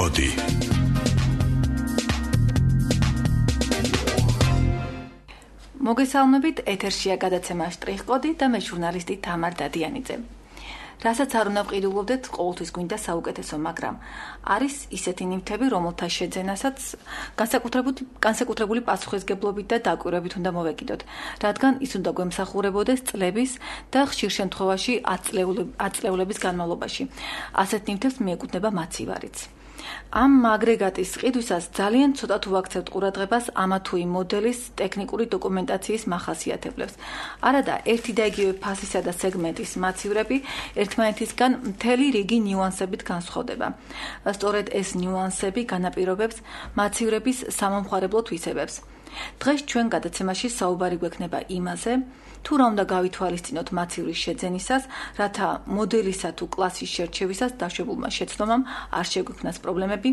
სტრიხკოდი. მოგესალმებით, ეთერშია გადაცემა სტრიხკოდი და მე ჟურნალისტი თამარ დადიანიძე. რასაც არ უნდა ვყიდულობდეთ, ყოველთვის გვინდა საუკეთესო, მაგრამ არის ისეთი ნივთები, რომელთა შეძენასაც განსაკუთრებული პასუხისგებლობით და დაკვირვებით უნდა მოვეკიდოთ, რადგან ის უნდა გვემსახურებოდეს წლების და ხშირ შემთხვევაში აწლეულების განმავლობაში. ასეთ ნივთებს მიეკუთვნება მაცივარიც. ამ აგრეგატის ყიდვისას ძალიან ცოტა თუ ვაქცევთ ყურადღებას ამა თუ იმ მოდელის ტექნიკური დოკუმენტაციის მახასიათებლებს. არადა ერთი და იგივე ფასისა და სეგმენტის მაცივრები ერთმანეთისგან მთელი რიგი ნიუანსებით განსხვავდება. სწორედ ეს ნიუანსები განაპირობებს მაცივრების სამომხმარებლო თვისებებს. დღეს ჩვენ გადაცემაში საუბარი გვექნება იმაზე, თუ რა უნდა გავითვალისწინოთ მაცივრის შეძენისას, რათა მოდელისა თუ კლასის შერჩევისას დაშვებულმა შეცდომამ არ შეგვექმნას პრობლემები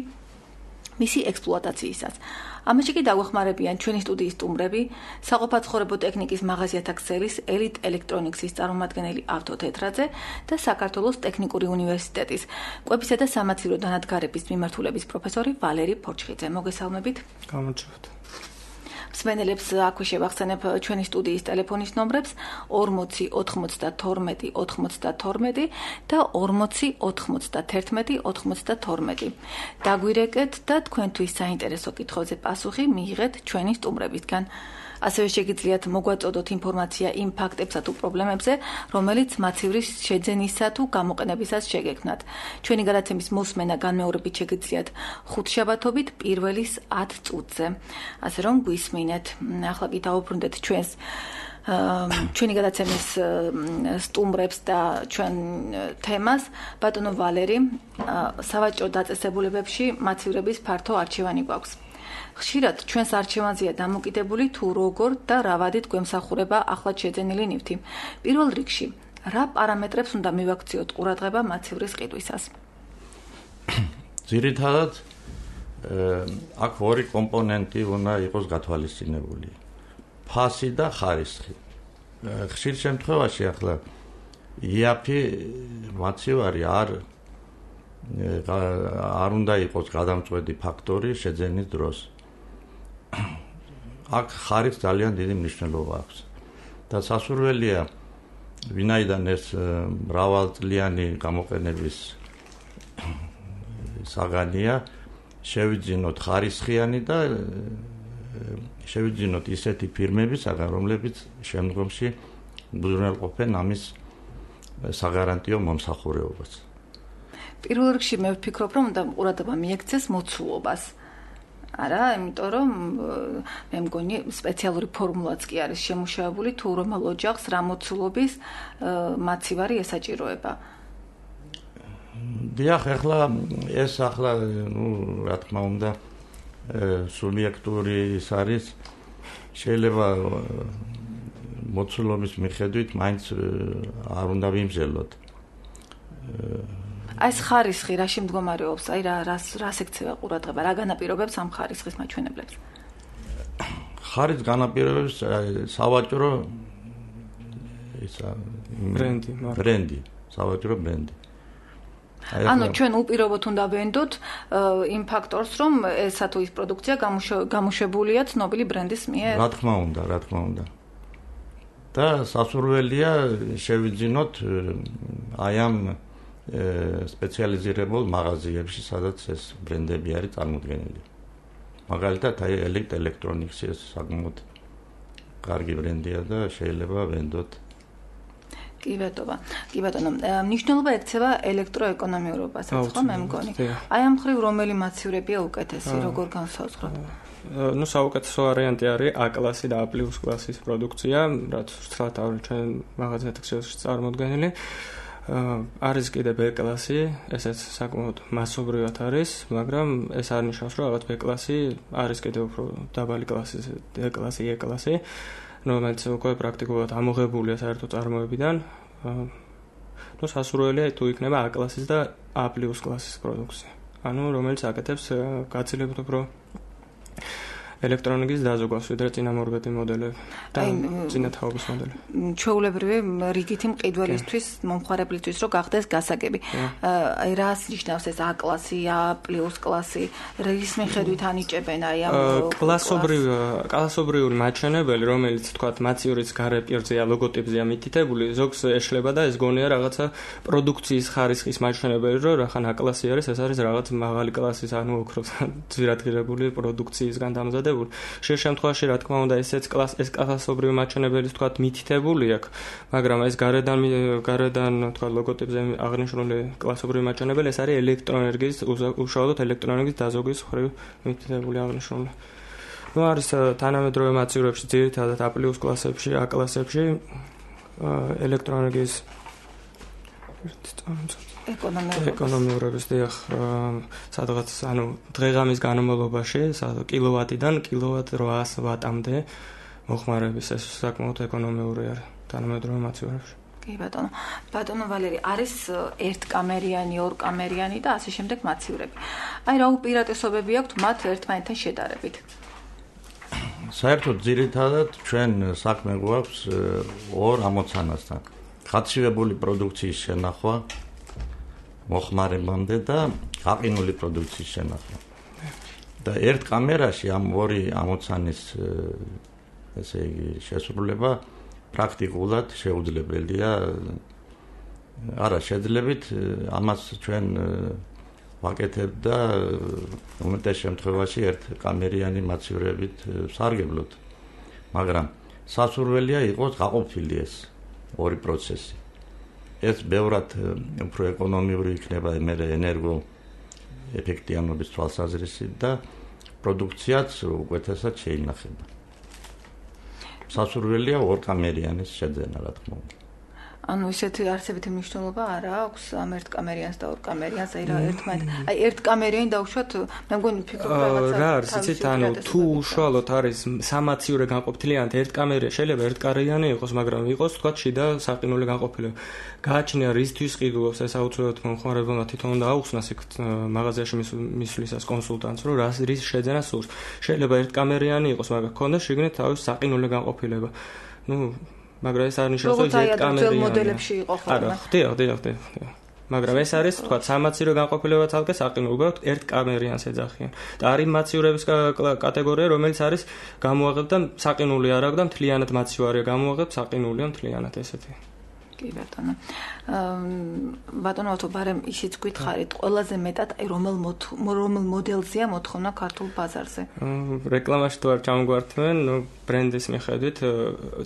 მისი ექსპლუატაციისას. ამაში კი დაგვეხმარებიან ჩვენი სტუდიის სტუმრები, საყოფაცხოვრებო ტექნიკის მაღაზიათა ქსელის ელიტ ელექტრონიქსის წარმომადგენელი ავთო თეთრაძე და საქართველოს ტექნიკური უნივერსიტეტის კვებისა და სამაცივრო დანადგარების მიმართულების პროფესორი ვალერი ფორჩხიძე. მოგესალმებით. გამარჯობთ. მსმენელებს აქვე შევახსენებ ჩვენი სტუდიის ტელეფონის ნომრებს 40 92 92 და 40 91 92. დაგვირეკეთ და თქვენთვის საინტერესო კითხვებზე პასუხი მიიღეთ ჩვენი სტუმრებისგან. ასევე შეგიძლიათ მოგვაწოდოთ ინფორმაცია იმ ფაქტებსა თუ პრობლემებზე, რომელიც მაცივრის შეძენისა თუ გამოყენებისას შეგექმნათ. ჩვენი გადაცემის მოსმენა განმეორებით შეგიძლიათ ხუთშაბათობით პირველის 10 წუთზე. ასე რომ გვისმინეთ. ახლა კი დავუბრუნდეთ ჩვენი გადაცემის სტუმრებს და ჩვენ თემას. ბატონო ვალერი, სავაჭრო დაწესებულებებში მაცივრების ფართო არჩევანი გვაქვს. ხშირად ჩვენს არჩევანზეა დამოკიდებული თუ როგორ და რა ვადით გვემსახურება ახლად შეძენილი ნივთი. პირველ რიგში, რა პარამეტრებს უნდა მივაქციოთ ყურადღება მაცივრის ყიდვისას? ძირითადად აქ ორი კომპონენტი უნდა იყოს გათვალისწინებული. ფასი და ხარისხი. ხშირ შემთხვევაში ახლა იაფი მაცივარი არ უნდა იყოს გადამწყვეტი ფაქტორი შეძენის დროს. აქ ხარისხს ძალიან დიდი მნიშვნელობა აქვს. და სასურველია, ვინაიდან ეს მრავალწლიანი გამოყენების საგანია, შევიძინოთ ხარისხიანი და შევიძინოთ ისეთი ფირმებისაგან, რომლებიც შემდგომში უზრუნველყოფენ ამის საგარანტიო მომსახურებობას. პირველ რიგში მე ვფიქრობ, რომ უნდა ყურადღება მიექცეს მოცულობას. არა, იმიტომ რომ მე მგონი სპეციალური ფორმულაც კი არის შემუშავებული, თუ რომელ ოჯახს რა მოცულობის მაცივარი ესაჭიროება. დიახ, ეს რა თქმა უნდა სუბიექტური ის არის, შეიძლება მოცულობის მიხედვით მაინც არ უნდა ვიმსჯელოთ. ეს ხარისხი რაში მდგომარეობს? აი რას ექცევა ყურადღება? რა განაპირობებს ამ ხარისხის მაჩვენებლებს? ხარისხს განაპირობებს სავაჭრო ბრენდი, სავაჭრო ბრენდი. ანუ ჩვენ უპირობოდ უნდა ვენდოთ იმ ფაქტორს, რომ ესა თუ ის პროდუქცია გამოშვებულია ცნობილი ბრენდის მიერ. რა თქმა უნდა. და სასურველია შევიძინოთ აი ამ სპეციალიზირებულ მაღაზიებში, სადაც ეს ბრენდები არის წარმოდგენილი. მაგალითად, აი ელიტ ელექტრონიქსი ეს საკმაოდ კარგი ბრენდია და შეიძლება ვენდოთ. კი ბატონო, მნიშვნელობა ექცევა ელექტროეკონომიურობასაც, ხო მე მგონი. აი ამ მხრივ რომელი მაცივრებია უკეთესი, როგორ განსაზღვროთ? საუკეთესო ვარიანტი არის A კლასი და A+ კლასის პროდუქცია, რაც ვრცლად არის ჩვენ მაღაზიათა ქსელში წარმოდგენილი. არის კიდე B კლასი, ესეც საკმაოდ მასობრივად არის, მაგრამ ეს არ ნიშნავს, რომ რაღაც B კლასი არის კიდე უფრო დაბალი კლასი, D კლასი, E კლასი, რომელიც უკვე პრაქტიკულად ამოღებულია საერთო წარმოებიდან. სასურველია თუ იქნება A კლასის და A+ კლასის პროდუქცია. ანუ რომელიც აკეთებს გაცილებით უფრო ელექტრონიკის დაზოგვას ვიდრე წინამორბედი მოდელები და წინათაობის მოდელები. ჩვეულებრივი რიგითი მყიდველისთვის, მომხმარებლისთვის რო გახდეს გასაგები. აი რას ნიშნავს ეს A კლასი, A+ კლასი, რის მიხედვით ანიჭებენ აი ამ კლასობრივი მაჩვენებელი, რომელიც თქვათ მაცივრის გარე პირზეა, ლოგოტიპზეა მითითებული, ზოგს ეშლება და ეს გონია რაღაცა პროდუქციის ხარისხის მაჩვენებელი, რომ რახან A კლასი არის, ეს არის რაღაც მაღალი კლასის, ანუ ოქროს ძვირადღირებული პროდუქციისგან დამზადებული. შე შემთხვევაში რა თქმა უნდა ეს კლასობრივი მაჩვენებელი თქვათ მითითებული აქვს, მაგრამ ეს გარედან თქვათ ლოგოტიპზე აღნიშნული კლასობრივი მაჩვენებელი ეს არის ელექტროენერგიის უშუალოდ ელექტროენერგიის დაზოგვის მხრივ მითითებული აღნიშნული. არის თანამედროვე მაცივრებში ძირითადად A+ კლასებში, A კლასებში ელექტროენერგიის ეკონომიურობის დიახ სადღაც ანუ დღე-ღამის განმავლობაში კილოვატიდან კილოვატ 800 ვატამდე მოხმარების ეს საკმაოდ ეკონომიური არის თანამედროვე მაცივრებში. კი ბატონო ვალერი არის ერთკამერიანი, ორკამერიანი და ასე შემდეგ მაცივრები. აი რა უპირატესობები აქვთ მათ ერთმანეთთან შედარებით? საერთოდ ძირითადად ჩვენ საქმე გვაქვს ორ ამოცანასთან. გაცივებული პროდუქციის შენახვა მოხმარებამდე და გაყინული პროდუქციის შენახვა. და ერთ კამერაში ამ ორი ამოცანის ესე იგი შესრულება პრაქტიკულად შეუძლებელია. არა შეძლებით ამას ჩვენ ვაკეთებ და უმეტეს შემთხვევაში ერთ კამერიანი მაცივრებით სარგებლობთ. მაგრამ სასურველია იყოს გაყოფილი ეს ორი პროცესი. ეს ბევრად უფრო ეკონომიური იქნება მერე ენერგო ეფექტიანობის თვალსაზრისით და პროდუქციაც უკეთესად შეინახება. სასურველია ორკამერიანის შეძენა რა თქმა უნდა. ანუ ისეთი არსებითი მნიშვნელობა არ აქვს ამ ერთკამერიანს და ორკამერიანს, აი რა ერთმანეთს. აი ერთკამერიანი დავუშვათ, მე მგონი ფიქრობ რაღაცა. რა არის იცით, ანუ თუ უშუალოდ არის სამაცივრე განყოფილიანად ერთკამერია, შეიძლება ერთკამერიანი იყოს, მაგრამ იყოს თქვა შიდა საყინული განყოფილება. გააჩნია რისთვის ყიდულობს ეს აუცილებლად მომხმარებელმა თვითონ უნდა აუხსნას იქ მაღაზიაში მისვლისას კონსულტანტს, რომ რის შეძენა სურს. შეიძლება ერთკამერიანი იყოს, მაგრამ ქონდეს შიგნით თავის საყინული განყოფილება. მაგრამ ეს არ ნიშნავს, რომ ერთკამერიანი მოდელებში იყო ხოლმე. არა, ხდია. მაგრამ ეს არის თქვა სამაცირო განყოფილება თალკე საყინული, უბრალოდ ერთკამერიანს ეძახიან. და არის მაცივრების კატეგორია, რომელიც არის გამოაღებ და საყინული არ აქვს და მთლიანად მაცივარია გამოაღებ, საყინულია მთლიანად ესეთი. კი ბატონო. ბატონო, ბარემ ისიც გითხარით, ყველაზე მეტად აი რომელ მოდელზეა მოთხოვნა ქართულ ბაზარზე? რეკლამაში თუ არ ჩამგვართმენ, ბრენდის მიხედვით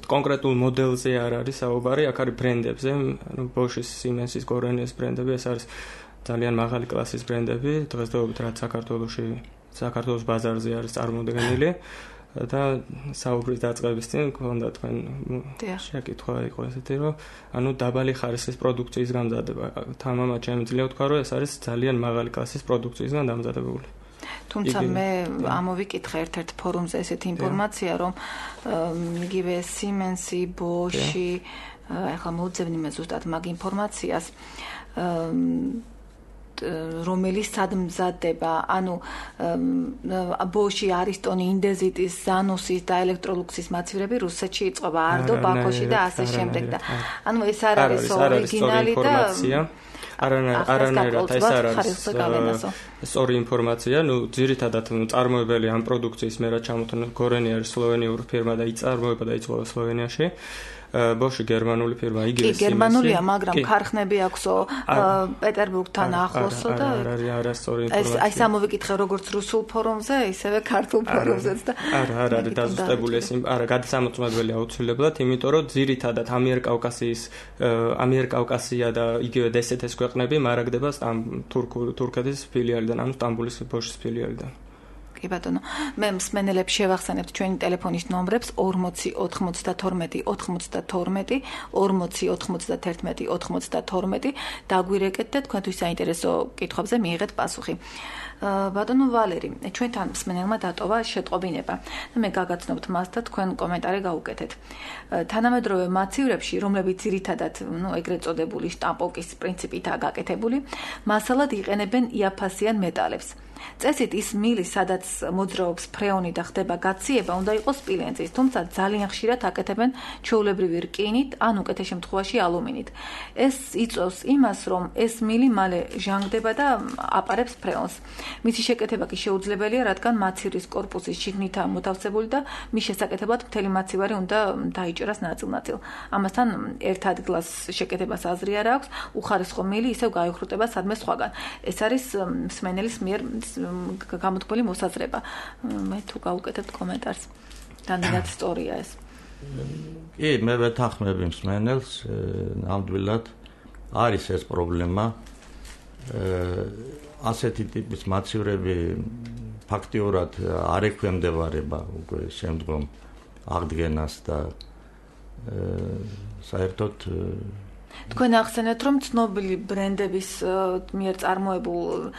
კონკრეტულ მოდელზე არ არის საუბარი, აქ არის ბრენდებზე, Bosch-ის, Siemens-ის, Gorenius ბრენდები, ეს არის ძალიან მაღალი კლასის ბრენდები, დღესდღეობით რაც საქართველოს ბაზარზე არის წარმოდგენილი. და საუბრის დაწყების წინ გქონდა თქვენ შეკითხვა იყო ესეთი, რომ ანუ დაბალი ხარისხის პროდუქციის გამზადება. თამამად შემიძლია ვთქვა, რომ ეს არის ძალიან მაღალი კლასის პროდუქციისგან დამზადებული. თუმცა მე ამოვიკითხე ერთ-ერთ ფორუმზე ესეთი ინფორმაცია, რომ იგივე Siemens-ი, Bosch-ი, ახლა მოუძებნი მე ზუსტად მაგ ინფორმაციას, რომელიც სადმზადდება, ანუ Bosch-ი, Ariston-ი, Indesit-ის, Zanus-ის და Electrolux-ის მაცივრები რუსეთში იწყება, Ardo, Baku-ში და ასე შემდეგ და ანუ ეს არ არის ორიგინალი და არანაირად ეს არ არის სწორი ინფორმაცია, ძირითადად წარმოებელი ამ პროდუქციის მე რა ჩამოთვლა Gorenia არის სლოვენიური ფირმა და იწარმოება და იწვევა სლოვენიაში. Bosch გერმანული ფირმა, იგივე Siemens-ი. კი, გერმანულია, მაგრამ ქარხნები აქვსო პეტერბურგთან ახლოსო და არასწორი ინფორმაცია. აი სამოვიკითხე როგორც რუსულ ფორუმზე, ისევე ქართულ ფორუმზეც და არა არის დაზუსტებული ეს არა გადასამოწმებელი აუცილებლად, იმიტომ რომ ძირითადად ამიერკავკასია და იგივე DST-ის ქვეყნები მარაგდება თურქეთის ფილიალიდან, ანუ სტამბოლის Bosch-ის ფილიალიდან. კი ბატონო, მე მსმენელებს შევახსენებთ ჩვენი ტელეფონის ნომრებს 40 92 92 40 91 92 დაგვირეკეთ და თქვენთვის საინტერესო კითხვებზე მიიღეთ პასუხი. ბატონო ვალერი, ჩვენთან მსმენელმა დატოვა შეტყობინება და მე გაგაცნობთ მას და თქვენ კომენტარი გაუკეთეთ. თანამედროვე მაცივრებში, რომლებიც ძირითადად, ეგრეთ წოდებული შტამპოვკის პრინციპითაა გაკეთებული, მასალად იყენებენ იაფასიან მეტალებს. წესით ის მილი, სადაც მოძრაობს ფრეონი და ხდება გაციება, უნდა იყოს სპილენძის, თუმცა ძალიან ხშირად აკეთებენ ჩვეულებრივი რკინით ან უკეთეს შემთხვევაში ალუმინით. ეს იწვევს იმას, რომ ეს მილი მალე ჟანგდება და აპარებს ფრეონს. მისი შეკეთება კი შეუძლებელია, რადგან მაცივრის კორპუსის შიგნითაა მოთავსებული და მის შესაკეთებლად მთელი მაცივარი უნდა დაიჭერას ნაწილ-ნაწილ. ამასთან ერთ ადგილას შეკეთებას აზრი არ აქვს, უხარისხო მილი ისევ გაიხრუტება სადმე სხვაგან. ეს არის მსმენელის მიერ გამოთქმული მოსაზრება. მე თუ გავუკეთებთ კომენტარს. დანარად სწორია ეს. კი, მე ვეთანხმები მსმენელს, ნამდვილად არის ეს პრობლემა. ასეთი ტიპის მაცივრები ფაქტიურად არ ექვემდებარება უკვე შემდგომ აღდგენას და საერთოდ თქვენ ახსენეთ, რომ ცნობილი ბრენდების მიერ წარმოებულ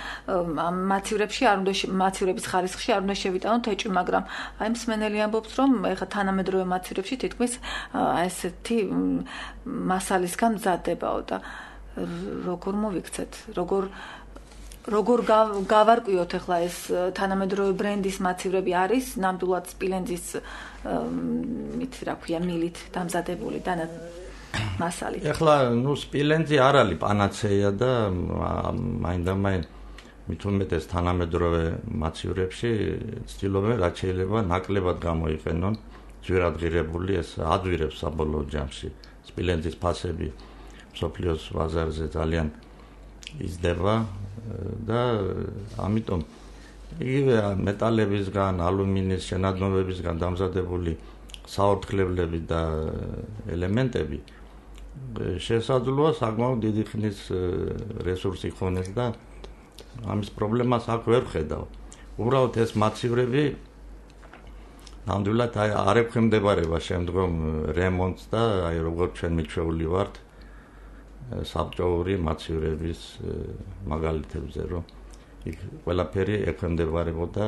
მაცივრებში არ უნდა მაცივრების ხარისხში არ უნდა შევიტანოთ ეჭვი, მაგრამ აი მსმენელი ამბობს, რომ ეხლა თანამედროვე მაცივრებში თითქმის ესეთი მასალისგან მზადდებაო და როგორ მოვიქცეთ, როგორ გავარკვიოთ ეხლა ეს თანამედროვე ბრენდის მაცივრები არის ნამდვილად სპილენძის რა ქვია მილით დამზადებული და მასალით. ეხლა სპილენძი არ არის პანაცეა და მაინდამაინ მით უმეტეს თანამედროვე მაცივრებში ცდილობენ რაც შეიძლება ნაკლებად გამოიყენონ ძვირადღირებული ეს ადვირებს საბოლოო ჯამში სპილენძის ფასები მსოფლიოს ბაზარზე ძალიან იზრდება და ამიტომ იგივე მეტალებისგან, ალუმინის შენადნობებისგან დამზადებული საორთქლებლები და ელემენტები შესაძლოა საკმაოდ დიდი ხნის რესურსი ხონეს და ამის პრობლემას აქ ვერ ხედავ. უბრალოდ ეს მაცივრები ნამდვილად არ ექვემდებარება შემდგომ რემონტს და აი როგორც ჩვენ მიჩვეული ვართ საბჭოური მაცივრების მაგალითებზე, რომ იქ ყველაფერი ექვემდებარებოდა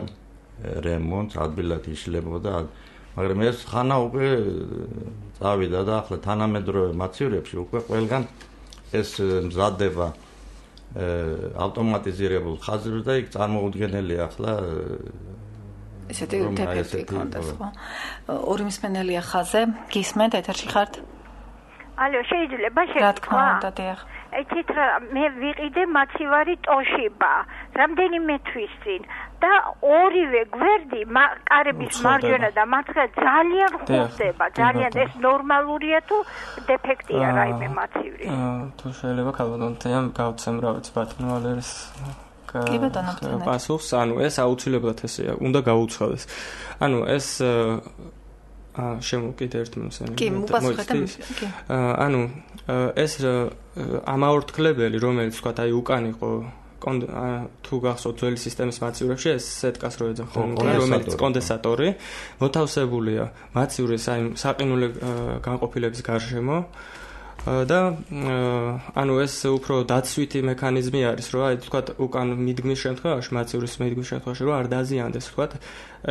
რემონტს, ადვილად იშლებოდა, მაგრამ ეს ხანა უკვე წავიდა და ახლა თანამედროვე მაცივრებში უკვე ყველგან ეს მზადდება ავტომატიზირებულ ხაზებზე და იქ წარმოუდგენელია ახლა ესეთი დეფექტი ქონდეს, ხო? ორი მსმენელია ხაზე, გისმენთ, ეთერში ხართ? ალო, შეიძლება რა თქმა უნდა, დიახ. ეთით რა მე ვიყიდე მაცივარი ტოშიბა, რამდენიმე თვის წინ და ორივე გვერდი კარების მარჯვენა და მარცხენა ძალიან ხურდება, ძალიან ეს ნორმალურია თუ დეფექტია რაიმე მაცივრი? თუ შეიძლება ქალბატონთან გავცემ რა ვიცი ბატონო ვალერის პასუხს, ანუ ეს აუცილებლად ესეა, უნდა გაუცხადეს. ანუ ეს შემოკიდე ერთ მომსენელი. კი, მოპასუხეთ. ანუ ეს ამაორთქლებელი, რომელიც თქვა აი უკან იყო თუ გახსოვთ ძველი სისტემის მაცივრებში ეს სეტკას რო ეძახიან, რომელიც კონდენსატორი მოთავსებულია მაცივრის აი საყინული განყოფილების გარშემო და ანუ ეს უფრო დაცვითი მექანიზმი არის, რომ აი თქვა უკან მიდგმის შემთხვევაში, მაცივრის მიდგმის შემთხვევაში რომ არ დაზიანდეს, თქვა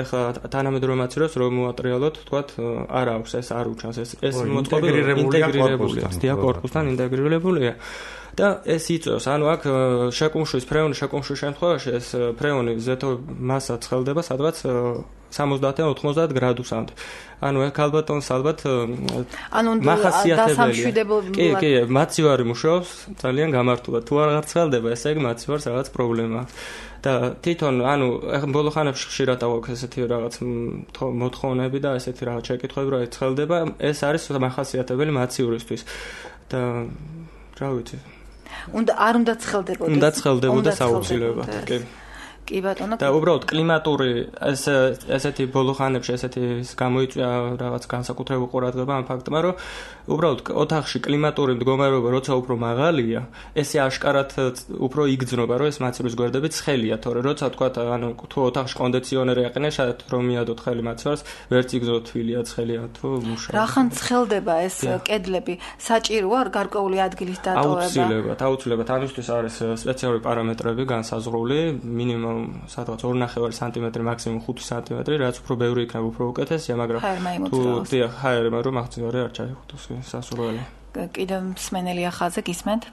ეხლა თანამედროვე მაცივრებს რომ მოატრიალოთ, თქვა არ აქვს ეს არ უჩანს ეს მოწყობილი ინტეგრირებულია, დიაკორპუსთან ინტეგრირებულია. და ეს იწევს, ანუ აქ შეკუმშვის ფრეონის შემთხვევაში ეს ფრეონი ზეთო მასა ცხელდება სადღაც 70-დან 90 გრადუსამდე. ანუ ეს ქალბატონს ალბათ მახასიათებელია. კი, მაცივარი მუშაობს ძალიან გამართულად. თუ აღარ ცხელდება, ესე იგი მაცივარს რაღაც პრობლემა აქვს. და თვითონ, ანუ ბოლო ხანებში ხშირად აქვს ესეთი რაღაც მოთხოვნები და ესეთი რაღაც შეკითხვები, რომ ცხელდება, ეს არის მახასიათებელი მაცივრისთვის. და რა ვიცი. არ უნდა ცხელდებოდეს. უნდა ცხელდებოდეს აუცილებლად, კი. კი ბატონო. და უბრალოდ კლიმატური ესეთი ბოლო ხანებში ესეთი გამოიწვია რაღაც განსაკუთრებული ყურადღება ამ ფაქტმა, რომ უბრალოდ ოთახში კლიმატური მდგომარეობა როცა უფრო მაღალია, ესე აშკარად უფრო იგრძნობა, რომ ეს მაცივრის გვერდები ცხელია, თორე როცა თქვა, ანუ თუ ოთახში კონდიციონერი აყენე, შაიდ რომ მიადოთ ხელი მაცივარს, ვერც იგრძნოთ თვილია, ცხელია თუ მუშაობს. რახან ცხელდება ეს კედლები? საჭიროა გარკვეული ადგილის დატოვება? აუცილებლად, ამისთვის არის სპეციალური პარამეტრები განსაზღვრული, მინიმუმ სადღაც 2.5 სანტიმეტრი, მაქსიმუმ 5 სანტიმეტრი, რაც უფრო ბევრი იქნება, უფრო უკეთესია, მაგრამ თუ ჰაერმა რომ აღწევარი არ ჩაიხუტოს სასურველი. კიდევ მსმენელია ხაზე, გისმენთ?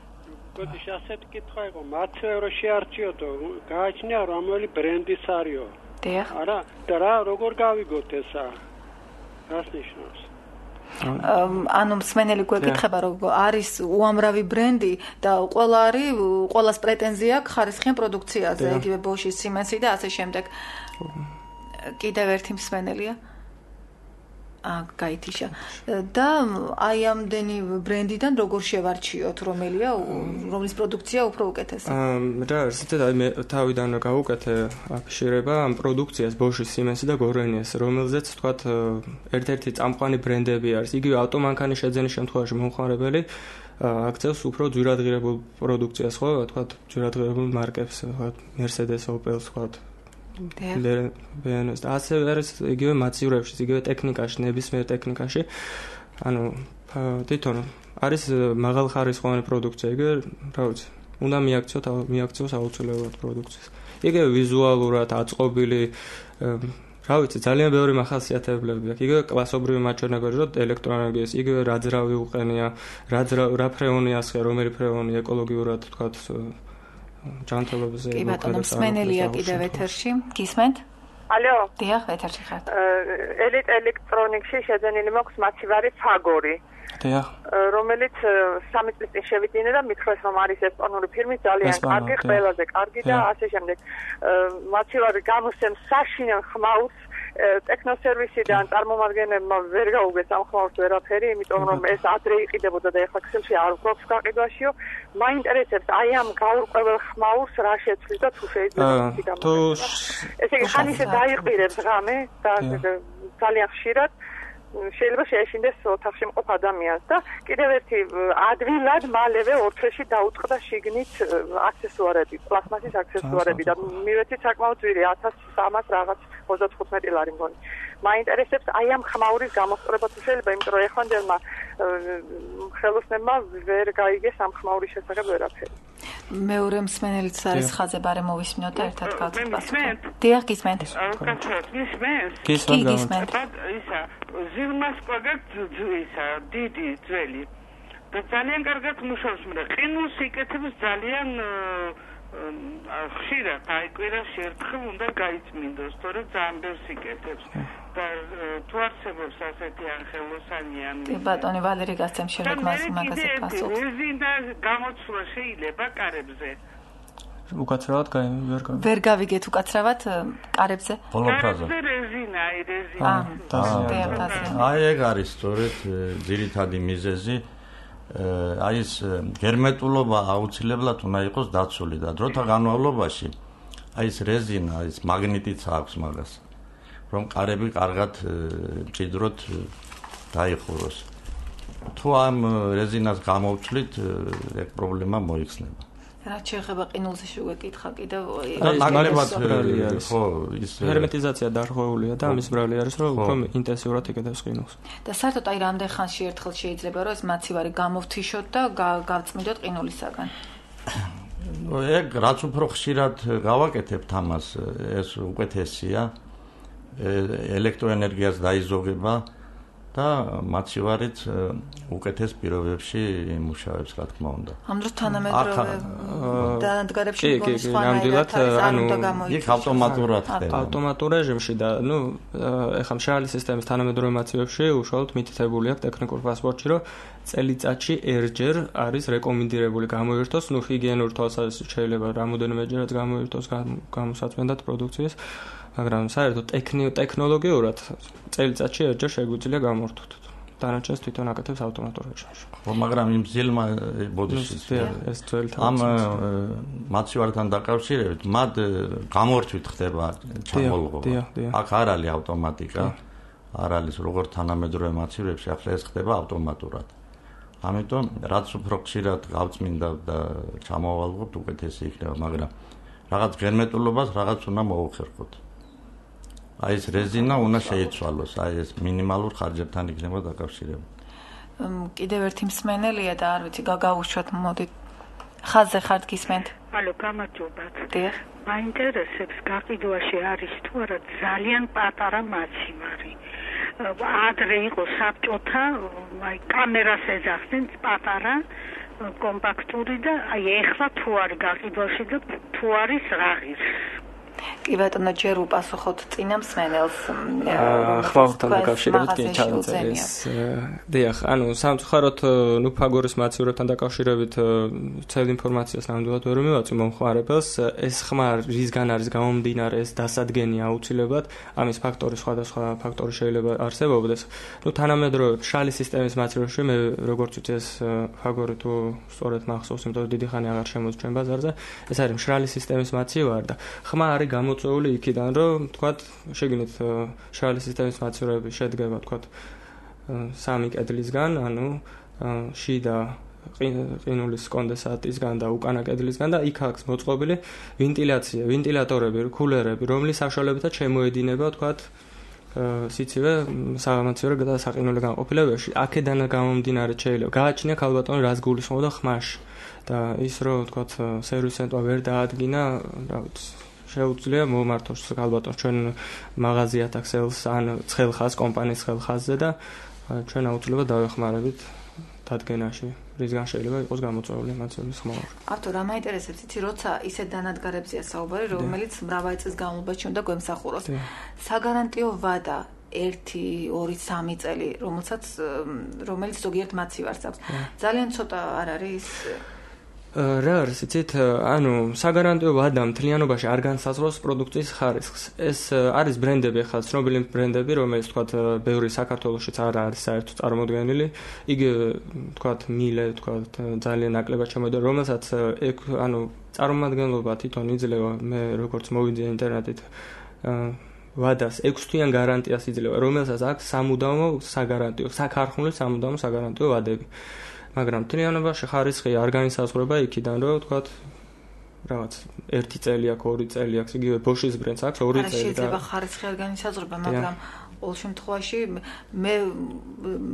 გოდის ასეთი კითხვა იყო, მაცივე რო შეარჩიოდო, გააჩნია რომელი ბრენდის არისო. დიახ. არა, და რა როგორ გავიგოთ ესა? რას ნიშნავს? ანუ მსმენელი გვეკითხება რომ არის უამრავი ბრენდი და ყველას პრეტენზია აქვს ხარისხიან პროდუქციაზე, იგივე Bosch-ის, Siemens-ი და ასე შემდეგ. კიდევ ერთი მსმენელია. გაითიშა. და აი ამდენი ბრენდიდან როგორ შევარჩიოთ, რომლის პროდუქცია უფრო უკეთესია? რა, ზუსტად აი მე თავიდან გავუკეთე აფიშირება ამ პროდუქციას Bosch-ის, Siemens-ი და Gorenias, რომელზეც თქვათ ერთ-ერთი წამყვანი ბრენდები არის. იგივე ავტომანქანის შეძენის შემთხვევაში მომხმარებელი აქცევს უფრო ძვირადღირებულ პროდუქციას, ხო, თქვათ ძვირადღირებულ მარკებს, თქვათ Mercedes, Opel, თქვათ და ასე არის იგივე მაცივრებში, იგივე ტექნიკაში, ნებისმიერ ტექნიკაში. ანუ თვითონ არის მაღალხარისხოვანი პროდუქცია, იგივე, რა ვიცი, უნდა მიაქციოს აუცილებლად პროდუქციას. იგივე ვიზუალურად აწყობილი, რა ვიცი, ძალიან ბევრი მახასიათებლები აქვს. იგივე კლასობრივი მაჩვენებელი, რომ ელექტროენერგიას, იგივე რა ძრავი უყენია, რა ფრეონი ასხე, რომელი ფრეონი ეკოლოგიურად, თქვათ ჯანმრთელობაზე კი ბატონო, მსმენელია კიდევ ეთერში. გისმენთ? ალო. დიახ, ეთერში ხართ. ელექტრონიკში შეძენილი მაქვს მაცივარი ფაგორი. დიახ. რომელიც 3 წლის წინ შევიდინე და მითხრეს რომ არის ესპანური ფირმის ძალიან კარგი, ყველაზე კარგი და ასე შემდეგ. მაცივარი გამოსცემს საშინელ ხმაურს ტექნოსერვისიდან წარმომადგენლებმა ვერ გაუგეს ამ ხმაურს ვერაფერი, იმიტომ რომ ეს ადრე იყიდებოდა და ეხლა ქსელში არ გვაქვს გაყიდვაშიო. მაინტერესებს აი ამ გაურკვეველ ხმაურს რა შეცვლის და თუ შეიძლება ესე იგი ხან ისე დაიყირებს ღამე და ძალიან ხშირად შეიძლება შეეშინდეს ოთახში მყოფ ადამიანს და კიდევ ერთი ადვილად მალევე ორთრეში დაუწყდა შიგნით აქსესუარები, პლასმასის აქსესუარები და მივეცით საკმაოდ ძვირი 1300 რაღაც 35 ლარი მგონი. მაინტერესებს აი ამ ხმაურის გამოსწორება თუ შეიძლება, იმიტომ რომ ეხანდელმა ხელოსნებმა ვერ გაიგეს ამ ხმაურის შესახებ ვერაფერი. მეორე მსმენელიც არის ხაზზე, ბარე მოვისმინოთ და ერთად გავცეთ პასუხი. დიახ, გისმენთ. გისმენთ. ისა ზილმასკვა ისა დიდი ძველი და ძალიან კარგად მუშაობს, მაგრამ ყინულს იკეთებს ძალიან ხშირად, აი კვირაში ერთხელ უნდა გაიწმინდოს, თორემ ძალიან ბევრს იკეთებს და თუ არსებობს ასეთი ხელოსანიანი. კი ბატონი ვალერი გასცემ შემდეგ მაგაზე პასუხს. რეზინა გამოცვლა შეიძლება კარებზე? უკაცრავად ვერ გავიგეთ უკაცრავად კარებზე. ბოლო ფრაზა. რეზინა. აი ეგ არის სწორედ ძირითადი მიზეზი. აი ეს გერმეტულობა აუცილებლად უნდა იყოს დაცული და დროთა განმავლობაში აი ეს რეზინა, ეს მაგნიტიც აქვს მაგას, რომ კარები კარგად მჭიდროდ დაიხუროს. თუ ამ რეზინას გამოვცვლით, ეგ პრობლემა მოიხსნება. რაც შეეხება ყინულზე შევეკითხა კიდევ ნაკლებად ხო ის ჰერმეტიზაცია დარღვეულია და ამის ბრალი არის რომ უფრო ინტენსიურად იკეთებს ყინულს. და საერთოდ აი რამდენ ხანში ერთხელ შეიძლება რომ ეს მაცივარი გამოვთიშოთ და გავწმინდოთ ყინულისაგან? ეგ რაც უფრო ხშირად გავაკეთებთ ამას, ეს უკეთესია. ელექტროენერგიას დაიზოგება და მაცივარიც უკეთეს პირობებში იმუშავებს, რა თქმა უნდა. ამ დროს თანამედროვე დანადგარებში ნამდვილად იქ ავტომატურად ხდება. ავტომატურ რეჟიმში და ეხლა მშრალი სისტემის თანამედროვე მაცივებში უშუალოდ მითითებული აქვს ტექნიკურ პასპორტში, რომ წელიწადში ერჯერ არის რეკომენდირებული გამოირთოს, ჰიგიენურ თვალსაზრისით შეიძლება რამოდენიმეჯერაც გამოირთოს გამოსაწმენდად პროდუქციის, მაგრამ საერთოდ ტექნოლოგიურად წელიწადში ერჯერ შეგვიძლია გამორთოთ. დანარჩენს თვითონ აკეთებს ავტომატურ რეჟიმში. ხო, მაგრამ იმ ძილმა ბოდიშის ეს ძველი ამ მაცივართან დაკავშირებით, მათ გამორთვით ხდება ჩამოლღობა. აქ არ არის ავტომატიკა, არ არის როგორც თანამედროვე მაცივებში, ახლა ეს ხდება ავტომატურად. ამიტომ რაც უფრო ხშირად გავწმინდა და ჩამოვალღობთ, უკეთესი იქნება, მაგრამ რაღაც გერმეტულობას რაღაც უნდა მოუხერხოთ. აი ეს რეზინა უნდა შეიცვალოს, აი ეს მინიმალურ ხარჯებთან იქნება დაკავშირებული. კიდევ ერთი მსმენელია და არ ვიცი, გაგაუშვათ, მოდით. ხაზზე ხართ გისმენთ? ალო, გამარჯობათ. დიახ. მაინტერესებს გაყიდვაში არის თუ არა ძალიან პატარა მაცივარი. ადრე იყო საბჭოთა, აი კამერას ეძახდნენ პატარა კომპაქტური და აი ეხლა თუ არის გაყიდვაში და თუ არის რაღირს. კი ბატონო, ჯერ უპასუხოთ წინა მსმენელს. ხმაურთან დაკავშირებით ჩავწერეს. დიახ, ანუ სამწუხაროდ ფაგორის მაცხოვრებთან დაკავშირებით ცელ ინფორმაციას ნამდვილად ვერ მივაწვი მომხმარებელს. ეს ხმა რისგან არის გამომდინარე, ეს დასადგენია აუცილებლად. ამის ფაქტორი სხვადასხვა ფაქტორი შეიძლება არსებობდეს. თანამედროვე მშრალი სისტემის მაცხოვრებაში მე როგორც ვიცი ეს ფაგორი თუ სწორედ მახსოვს, იმიტომ რომ დიდი ხანი აღარ შემოწმენ ბაზარზე. ეს არის მშრალი სისტემის მაცივარი და ხმა არის გამოწვეული იქიდან, რომ თქვათ, შეგინეთ მშრალი სისტემის მაცივარები შედგება, თქვათ, 3 კედლისგან, ანუ შიდა ყინულის კონდენსატისგან და უკანა კედლისგან და იქ აქვს მოწყობილი ვენტილაცია, ვენტილატორები, კულერები, რომლის საშუალებითაც შემოედინება, თქვათ, სიცივე სამაცივარი და საყინული განყოფილებებში. აქედან გამომდინარე შეიძლება გააჩნია ქალბატონი რას გულისხმობდა ხმაში და ის რომ თქვათ სერვის ცენტრმა ვერ დაადგინა, რა ვიცი, შეუძლია მომართოს ქალბატონს ჩვენ მაღაზიათა ქსელს ან ცხელხას კომპანიის ცხელხასზე და ჩვენ აუცილებლად დავეხმარებით დადგენაში, რისგან შეიძლება იყოს გამოწვეული მაცივრის ხმა. ავტორ, რა მაინტერესებს, იცი, როცა ისეთ დანადგარებზია საუბარი, რომელიც მრავალი წლის განმავლობაში უნდა გვემსახუროს. საგარანტიო ვადა 1, 2, 3 წელი, რომელიც ზოგიერთ მაცივარს აქვს. ძალიან ცოტა არ არის რა არის, იცით, ანუ საგარანტიო ვადა მთლიანობაში არ განსაზღვრავს პროდუქციის ხარისხს. ეს არის ბრენდები, ახლა ცნობილი ბრენდები, რომელიც თქვათ ბევრი საქართველოშიც არ არის საერთოდ წარმოდგენილი. იგი თქვათ მილე, თქვათ ძალიან ნაკლებად შემოდიოდა, რომელსაც ანუ წარმომადგენლობა თვითონ იძლევა, მე როგორც მოვიძიე ინტერნეტით ვადას 6 თვიან გარანტიას იძლევა, რომელსაც აქვს სამუდამო საგარანტიო, საქარხმული სამუდამო საგარანტიო ვადები. მაგრამ მთლიანობაში ხარისხი არ განისაზღვრება იქიდან, რომ თქვათ რაღაც 1 წელი აქვს, 2 წელი აქვს, იგივე ბოშის ბრენდს აქვს 2 წელი და შეიძლება ხარისხი არ განისაზღვრება, მაგრამ ყოველ შემთხვევაში მე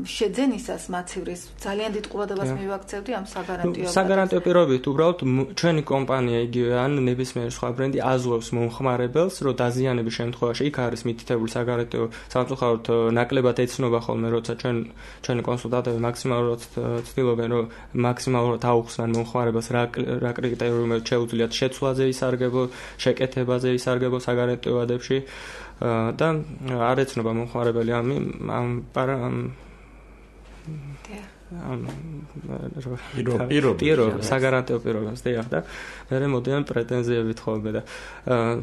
შეძენისას მაცივრის ძალიან დიდ ყურადღებას მივაქცევდი ამ საგარანტიო პირობებით. უბრალოდ ჩვენი კომპანია იგივე ან ნებისმიერი სხვა ბრენდი აზღვევს მომხმარებელს, რომ დაზიანების შემთხვევაში იქ არის მითითებული საგარანტიო, სამწუხაროდ ნაკლებად ეცნობა ხოლმე, როცა ჩვენი კონსულტანტები მაქსიმალურად ცდილობენ, რომ მაქსიმალურად აუხსნან მომხმარებელს რა კრიტერიუმები შეუძლიათ შეცვლაზე ისარგებლო, შეკეთებაზე ისარგებლო საგარანტიო ვადებში. და არ ეცნობა მომხმარებელი პირობებს, საგარანტიო პირობებს, დიახ, და მე მოდიან პრეტენზიებით ხოლმე და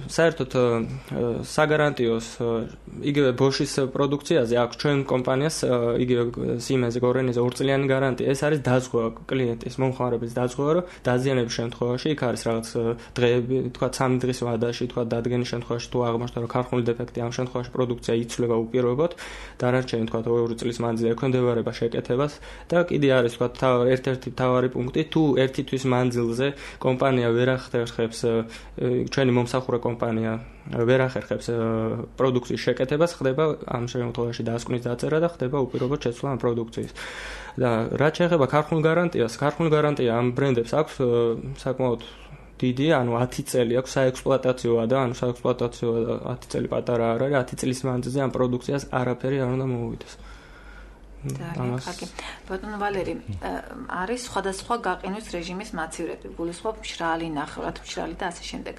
საერთოდ საგარანტიოს იგივე ბოშის პროდუქციაზე აქვს ჩვენ კომპანიას იგივე Siemens-ზე გორენიზე 2 წლიანი გარანტია. ეს არის დაზღვევა კლიენტის, მომხმარებლის დაზღვევა, რომ დაზიანების შემთხვევაში იქ არის რაღაც დღეები, თქვა 3 დღის ვადაში, თქვა დადგენის შემთხვევაში თუ აღმოჩნდა რომ ქარხნული დეფექტი ამ შემთხვევაში პროდუქცია იცვლება უპირობოდ, დანარჩენი თქვა 2 წლის მანძილზე ექვემდებარება შეკეთებას და კიდე არის თქვა ერთ-ერთი მთავარი პუნქტი, თუ 1 თვის მანძილზე კომპანია ვერ ახერხებს, ჩვენი მომსახურე კომპანია ვერ ახერხებს პროდუქციის შეკეთებას, ხდება ამ შემთხვევაში დასკვნის დაწერა და ხდება უპირობოდ შეცვლა ამ პროდუქციის. და რაც შეეხება ქარხნულ გარანტიას, ქარხნული გარანტია ამ ბრენდებს აქვს საკმაოდ დიდი, ანუ 10 წელი აქვს საექსპლუატაციოა და ანუ საექსპლუატაციო 10 წელი პატარა არ არის, 10 წლის მანძილზე ამ პროდუქციას არაფერი არ უნდა მოუვიდეს. ბატონო ვალერი, არის სხვადასხვა გაყინვის რეჟიმის მაცივრები, გულისხმობ მშრალი, ნახევრად მშრალი და ასე შემდეგ.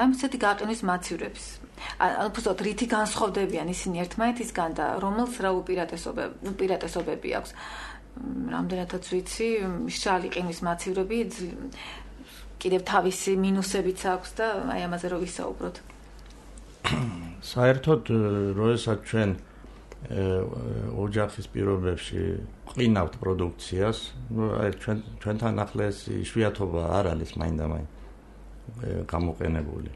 ამ ესეთი გაყინვის მაცივრების, ანუ უბრალოდ რითი განსხვავდებიან ისინი ერთმანეთისგან და რომელს რა უპირატესობები აქვს. რამდენადაც ვიცი, მშრალი ყინვის მაცივრები კიდევ თავისი მინუსებიც აქვს და აი ამაზე რო ვისაუბროთ. საერთოდ როდესაც ჩვენ ოჯახის პირობებში ყინავთ პროდუქციას, აი ჩვენთან ახლა ეს იშვიათობა არ არის მაინდა-მაინც გამოყენებული.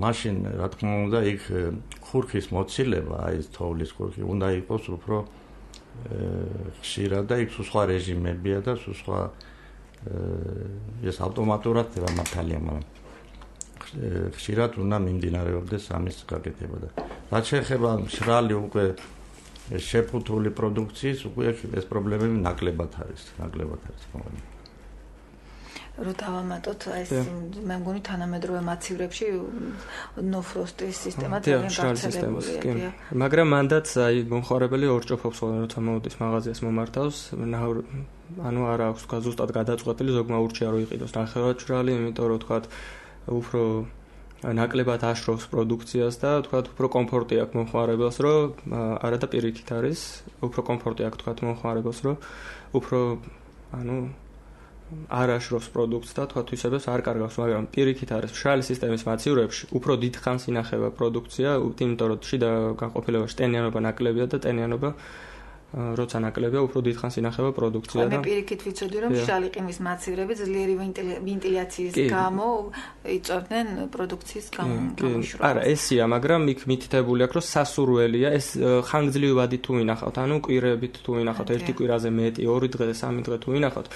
მაშინ რა თქმა უნდა იქ ხურქის მოცილება, აი ეს თოვლის ხურქი უნდა იყოს უფრო ხშირად და იქ სხვა რეჟიმებია და სხვა ეს ავტომატურად ხდება მართალია, მაგრამ ხშირად უნდა მიმდინარეობდეს ამის გაკეთება და რაც შეეხება მშრალი უკვე შეფუთული პროდუქციის, უკვე ეს პრობლემები ნაკლებად არის. რო დავამატოთ ეს მე მგონი თანამედროვე მაცივრებში ნოფროსტის სისტემა ძალიან გავრცელებულია. მაგრამ მანდაც აი მომხმარებელი ორ ჭოფობს, როცა მოდის მაღაზიას მომართავს, ანუ არა აქვს თქვა ზუსტად გადაწყვეტილი ზოგმა ურჩია რომ იყიდოს ნახევარჭრალი, იმიტომ რომ თქვა უფრო ნაკლებად აშრობს პროდუქციას და თქვა უფრო კომფორტი აქვს მომხმარებელს, რომ არა და პირიქით არის, უფრო კომფორტი აქვს თქვა მომხმარებელს, რომ უფრო ანუ არ აშრობს პროდუქტს და თქვა თვისებებს არ კარგავს, მაგრამ პირიქით არის მშრალი სისტემის მაცივრებში უფრო დიდ ხანს ინახება პროდუქცია, იმიტომ რომ შიდა განყოფილებაში ტენიანობა ნაკლებია და ტენიანობა როცა ნაკლებია, უფრო დიდ ხანს ინახება პროდუქცია და მე პირიქით ვიცოდი, რომ მშრალი ყინვის მაცივრები ძლიერი ვენტილაციის გამო იწვევდნენ პროდუქციის გამოშრობას. არა, ესია, მაგრამ იქ მითითებული აქვს, რომ სასურველია, ეს ხანგრძლივად თუ ინახავთ, ანუ კვირებით თუ ინახავთ, ერთი კვირაზე მეტი, 2 დღე, 3 დღე თუ ინახავთ,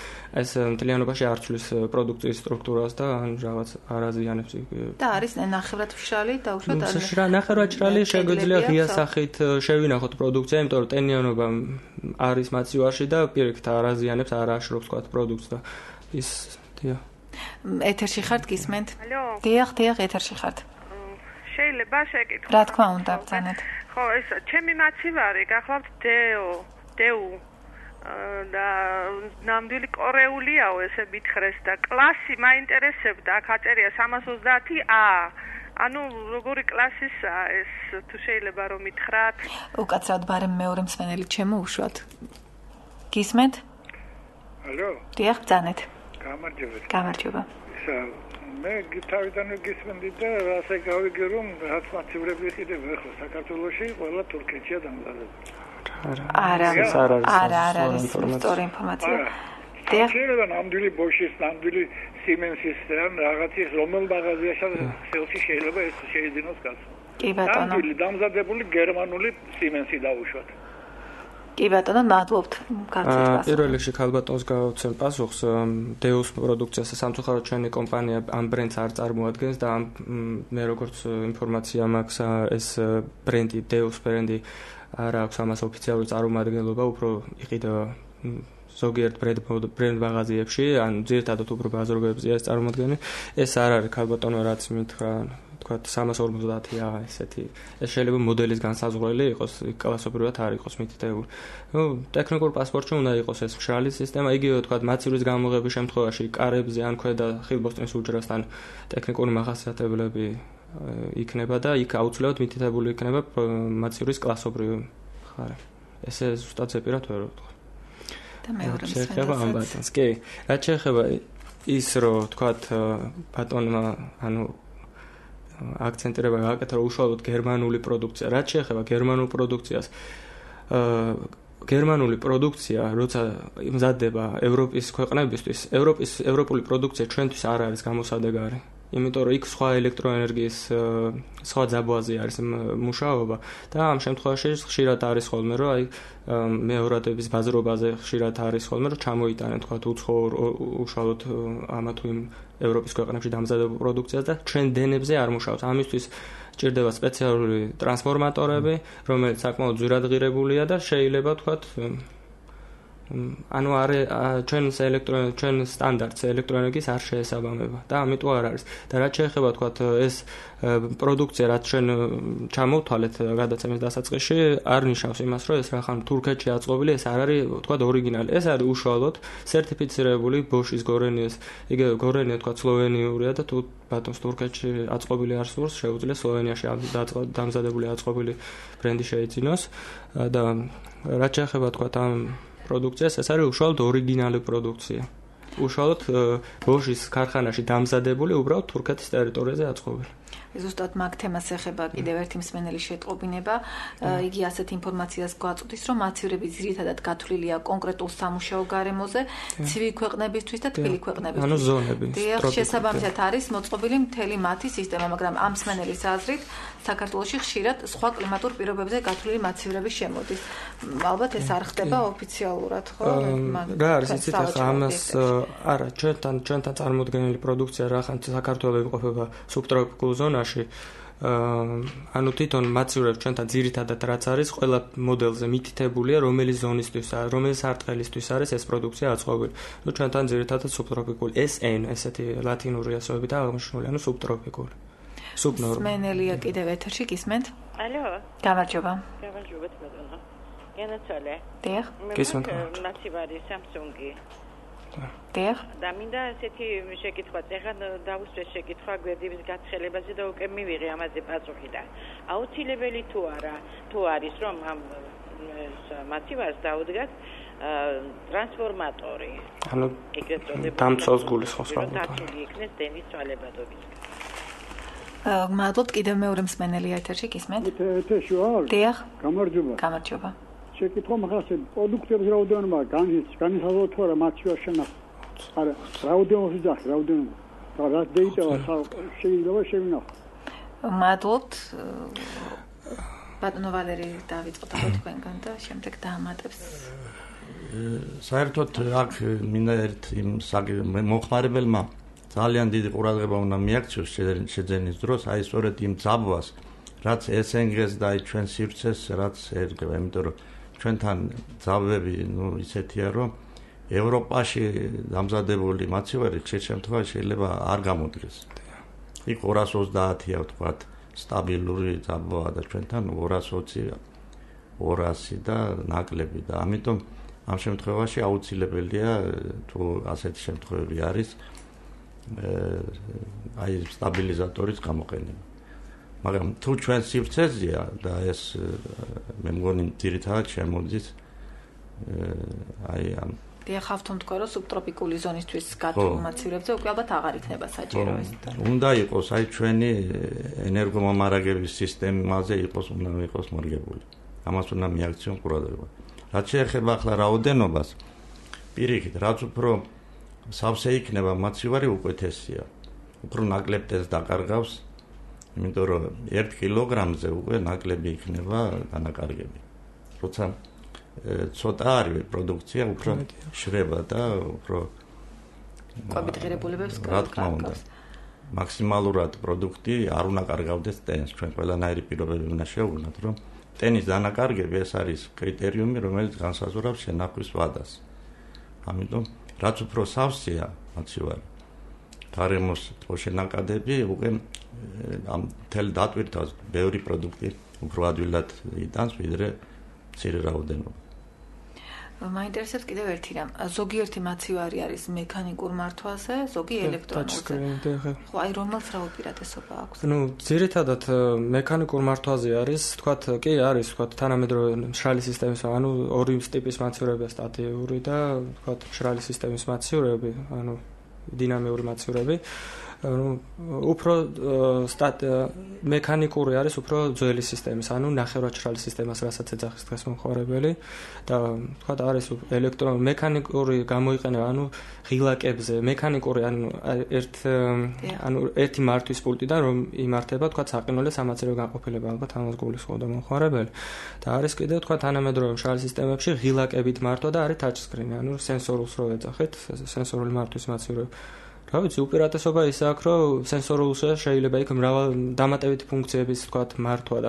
ეს მთლიანობაში არ ცვლის პროდუქციის სტრუქტურას და ან რაღაც არ აზიანებს. და არის ნახევრად მშრალი და უშუალოდ ნახევრად მშრალი შეგვიძლია ღია სახით შევინახოთ პროდუქცია, იმიტომ რომ ტენიანობა არის მაცივარში და პირიქით არ აზიანებს, არ აშრობს თქვა პროდუქტს და ის დიახ. ეთერში ხართ გისმენთ? ალო. დიახ, ეთერში ხართ. შეიძლება შეკითხვა? რა თქმა უნდა, ბრძანეთ. ხო, ეს ჩემი მაცივარი გახლავთ დეუ და ნამდვილი კორეულიაო, ესე მითხრეს და კლასი მაინტერესებდა, აქ აწერია 320A. ანუ როგორი კლასისაა ეს, თუ შეიძლება რომ მითხრათ? უკაცრავად ბარემ მეორე მსმენელი ჩემო უშვათ. გისმენთ? ალო. დიახ, ბრძანეთ. გამარჯობა. მე თავიდანვე გისმენდი და ასე გავიგე რომ რაც მაცივრები იყიდება ახლა საქართველოში, ყველა თურქეთშია დამზადებული. არა, არის სწორი ინფორმაცია. შეიძლება ნამდვილი ბოშის, ნამდვილი სიმენსის ან რაღაცის რომელ მაღაზიაში შეიძლება ეს შეიძინოს კაცო. კი ბატონო. ნამდვილი დამზადებული გერმანული სიმენსი დაუშვათ. კი ბატონო, მადლობთ. პირველ რიგში ქალბატონს გავაცემ პასუხს. დეუს პროდუქციას სამწუხაროდ ჩვენი კომპანია ამ ბრენდს არ წარმოადგენს და მე როგორც ინფორმაცია მაქვს, ეს ბრენდი, დეუს ბრენდი არ აქვს ამას ოფიციალური წარმომადგენლობა, უფრო იყიდა ზოგიერთ ბრენდ მაღაზიებში, ან ძირითადად უფრო ბაზრობებზეა ეს წარმოადგენი. ეს არ არის ქალბატონო, რაც მითხრა, თქვა 350-ა ესეთი. ეს შეიძლება მოდელის განსაზღვრელი იყოს, კლასობრივად არ იყოს მითითებული. ნუ ტექნიკურ პასპორტში უნდა იყოს ეს მშრალი სისტემა, იგივე თქვა მაცივრის გამოღების შემთხვევაში კარებზე ან ქვედა ხილბოსტნის უჯრასთან ტექნიკური მახასიათებლები იქნება და იქ აუცილებლად მითითებული იქნება მაცივრის კლასობრივი ხარი. ესე ზუსტად ზეპირად ვერ ვთქვა. შეიძლება ამ ბატონს. კი, რაც შეეხება ის რომ თქვათ ბატონმა ანუ აქცენტირება გააკეთა რომ უშუალოდ გერმანული პროდუქცია. რაც შეეხება გერმანულ პროდუქციას, გერმანული პროდუქცია, როცა მზადდება ევროპის ქვეყნებისთვის, ევროპული პროდუქცია ჩვენთვის არ არის გამოსადეგარი. იმიტომ რომ იქ სხვა ელექტროენერგიის სხვა ძაბვაზე არის მუშაობა და ამ შემთხვევაში ხშირად არის ხოლმე რომ აი მეორადების ბაზრობაზე ხშირად არის ხოლმე რომ ჩამოიტანენ თქვა უცხოურ უშუალოდ ამა თუ იმ ევროპის ქვეყნებში დამზადებულ პროდუქციას და ჩვენ დენებზე არ მუშაობს. ამისთვის ჭირდება სპეციალური ტრანსფორმატორები, რომელიც საკმაოდ ძვირადღირებულია და შეიძლება თქვა ანუ ჩვენ სტანდარტს ელექტროენერგიის არ შეესაბამება და ამიტომ არ არის. და რაც შეეხება თქვა ეს პროდუქცია, რაც ჩვენ ჩამოვთვალეთ გადაცემის დასაწყისში, არ ნიშნავს იმას, რომ ეს რახან თურქეთში აწყობილი, ეს არ არის თქვა ორიგინალი. ეს არის უშუალოდ სერტიფიცირებული ბოშის გორენიეს, იგივე გორენია თქვა სლოვენიურია და თუ ბატონს თურქეთში აწყობილი არ სურს, შეუძლია სლოვენიაში დამზადებული აწყობილი ბრენდი შეიძინოს და რაც შეეხება თქვა ამ პროდუქციას, ეს არის უშუალოდ ორიგინალური პროდუქცია. უშუალოდ ბოშის ქარხანაში დამზადებული, უბრალოდ თურქეთის ტერიტორიაზე აწყობილი. ზუსტად მაგ თემას ეხება კიდევ ერთი მსმენელი შეტყობინება. იგი ასეთ ინფორმაციას გვაწვდის, რომ მაცივრები ძირითადად გათვლილია კონკრეტულ სამუშაო გარემოზე, ცივი ქვეყნებისთვის და თბილი ქვეყნებისთვის. ანუ ზონები. შესაბამისად არის მოწყობილი მთელი მათი სისტემა, მაგრამ ამ მსმენელის აზრით საქართველოში ხშირად სხვა კლიმატურ პირობებზე გათვლილი მაცივრები შემოდის. ალბათ ეს არ ხდება ოფიციალურად, ხო? რა არის იცით ახლა ამას არა, ჩვენთან წარმოდგენილი პროდუქცია რახან საქართველოს იმყოფება სუბტროპიკულ ზონაში. ანუ თვითონ მაცივრებს ჩვენთან ძირითადად რაც არის, ყველა მოდელზე მითითებულია, რომელი ზონისთვის, რომელი სარტყელისთვის არის ეს პროდუქცია აწყობილი. ნუ ჩვენთან ძირითადად სუბტროპიკული SN, ესეთი ლათინური ასოებით აღმოჩენილი, ანუ სუბტროპიკული. სუბნორმალი. მსმენელია კიდევ ეთერში გისმენთ? ალო. გამარჯობა. გამარჯობა ბატონო. გენაცვალე. დიახ. გისმენთ. მაცივარი Samsung-ი. დიახ. და მინდა ესეთი შეკითხვა, ეხლა დავუსვეს შეკითხვა გვერდების გაცხელებაზე და უკვე მივიღე ამაზე პასუხი და აუცილებელი თუ არა, თუ არის რომ ამ მაცივარს დაუდგათ ტრანსფორმატორი. ანუ დამწოს გულისხმობს რა. დაცული იქნეს დენის ცვალებადობისგან. მადლობთ კიდევ მეორე მსმენელი ეთერში გისმენთ? ეთერში ვარ. დიახ. გამარჯობა. გამარჯობა. შეკითხვა მაგას პროდუქტების რაოდენობა განისაზღვროთ თუ არა მაცივარ შენახ. არა, რაოდენობის ძახი, რაოდენობა. რა დეიტა შეიძლება შევინახო. მადლობთ. ბატონო ვალერი დავიწყოთ ახლა თქვენგან და შემდეგ დაამატებს. საერთოდ აქ მინდა ერთ იმ მოხმარებელმა ძალიან დიდი ყურადღება უნდა მიაქციოს შეძენის დროს, აი სწორედ იმ ძაბვას, რაც SNG-ს და აი ჩვენ სივრცეს რაც ერგება, იმიტომ რომ ჩვენთან ძაბვები, ისეთია, რომ ევროპაში დამზადებული მაცივარი ხშირ შემთხვევაში შეიძლება არ გამოდგეს. იქ 230-ია ვთქვათ, სტაბილური ძაბვა და ჩვენთან 220, 200 და ნაკლები და ამიტომ ამ შემთხვევაში აუცილებელია თუ ასეთი შემთხვევები არის აი სტაბილიზატორის გამოყენება. მაგრამ თუ ჩვენ სივრცეზეა და ეს მე მგონი ძირითადად შემოდის აი ამ დიახავთომ თქვა რომ სუბტროპიკული ზონისთვის გათვლილ მაცივრებზე უკვე ალბათ აღარ იქნება საჭირო ეს. უნდა იყოს აი ჩვენი ენერგომომარაგების სისტემაზე უნდა იყოს მორგებული. ამას უნდა მიაქციონ ყურადღება. რაც შეეხება ახლა რაოდენობას, პირიქით, რაც უფრო სავსე იქნება მაცივარი უკეთესია. უფრო ნაკლებ ტესტს დაკარგავს, იმიტომ რომ 1 კილოგრამზე უკვე ნაკლები იქნება დანაკარგები. როცა ცოტა არის პროდუქცია, უფრო შრება და უფრო კვებითღირებულებებს კარგავს. მაქსიმალურად პროდუქტი არ უნდა კარგავდეს ტენს. ჩვენ ყველანაირი პირობები უნდა შევუგნათ, რომ ტენის დანაკარგები ეს არის კრიტერიუმი, რომელიც განსაზღვრავს შენახვის ვადას. ამიტომ რაც უფრო სავსეა მაცივარი, გარემოს შენაკადები უკვე ამ თელ დატვირთავს ბევრი პროდუქტი უფრო ადვილად იტანს, ვიდრე მცირე რაოდენობა. მაინტერესებს კიდევ ერთი რამ. ზოგიერთი მაცივარი არის მექანიკურ მართვაზე, ზოგი ელექტრონულზე. ხო, აი რომელს რა უპირატესობა აქვს? ძირითადად მექანიკურ მართვაზე არის, თქვათ, კი არის, თქვათ, თანამედროვე მშრალი სისტემის, ანუ ორი ტიპის მაცივარებია, სტატიური და თქვათ, მშრალი სისტემის მაცივარები, ანუ დინამიური მაცივარები. უფრო მექანიკური არის უფრო ძველი სისტემის, ანუ ნახევრადმშრალი სისტემას, რასაც ეძახის დღეს მომხმარებელი და თქვათ არის მექანიკური გამოიყენება, ანუ ღილაკებზე, მექანიკური, ანუ ერთი მართვის პულტიდან რომ იმართება, თქვათ, საყინულე სამაცივრო განყოფილება, ალბათ ამას გულისხმობდა მომხმარებელი. და არის კიდევ თქვათ თანამედროვე მშრალი სისტემებში ღილაკებით მართვა და არის ტაჩსკრინი, ანუ სენსორულს რო ეძახით, სენსორული მართვის მაცივარები. რა ვიცი, უპირატესობა ის აქვს, რომ სენსორულზე შეიძლება იქ მრავალ დამატებითი ფუნქციების თქვათ მართვა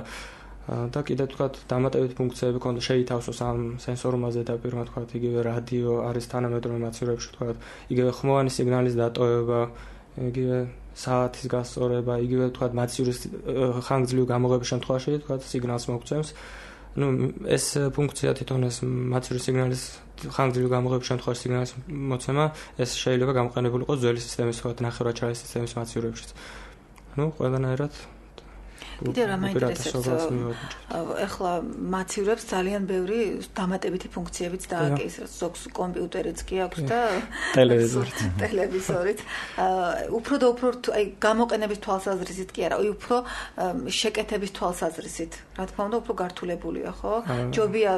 და კიდე თქვათ დამატებითი ფუნქციები ქონდა შეითავსოს ამ სენსორუმაზე და პირმა თქვათ იგივე რადიო არის თანამედროვე მაცივარებში თქვათ, იგივე ხმოვანი სიგნალის დატოვება, იგივე საათის გასწორება, იგივე თქვათ მაცივრის ხანგრძლივი გამოღების შემთხვევაში თქვათ სიგნალს მოგცემს. ეს ფუნქცია თვითონ ეს მაცივრის სიგნალის ხანგრძლივი გამოღების შემთხვევაში სიგნალის მოცემა ეს შეიძლება გამოყენებული იყოს ძველი სისტემის თქვათ ნახევრადმშრალი სისტემის მაცივარებშიც. ყველანაირად კიდევ რა მაინტერესებს, ეხლა მაცივრებს ძალიან ბევრი დამატებითი ფუნქციებიც დააკისრეს, ზოგს კომპიუტერიც კი აქვს და ტელევიზორიც. უფრო და უფრო აი გამოყენების თვალსაზრისით კი არა, უფრო შეკეთების თვალსაზრისით. რა თქმა უნდა, უფრო გართულებულია, ხო? ჯობია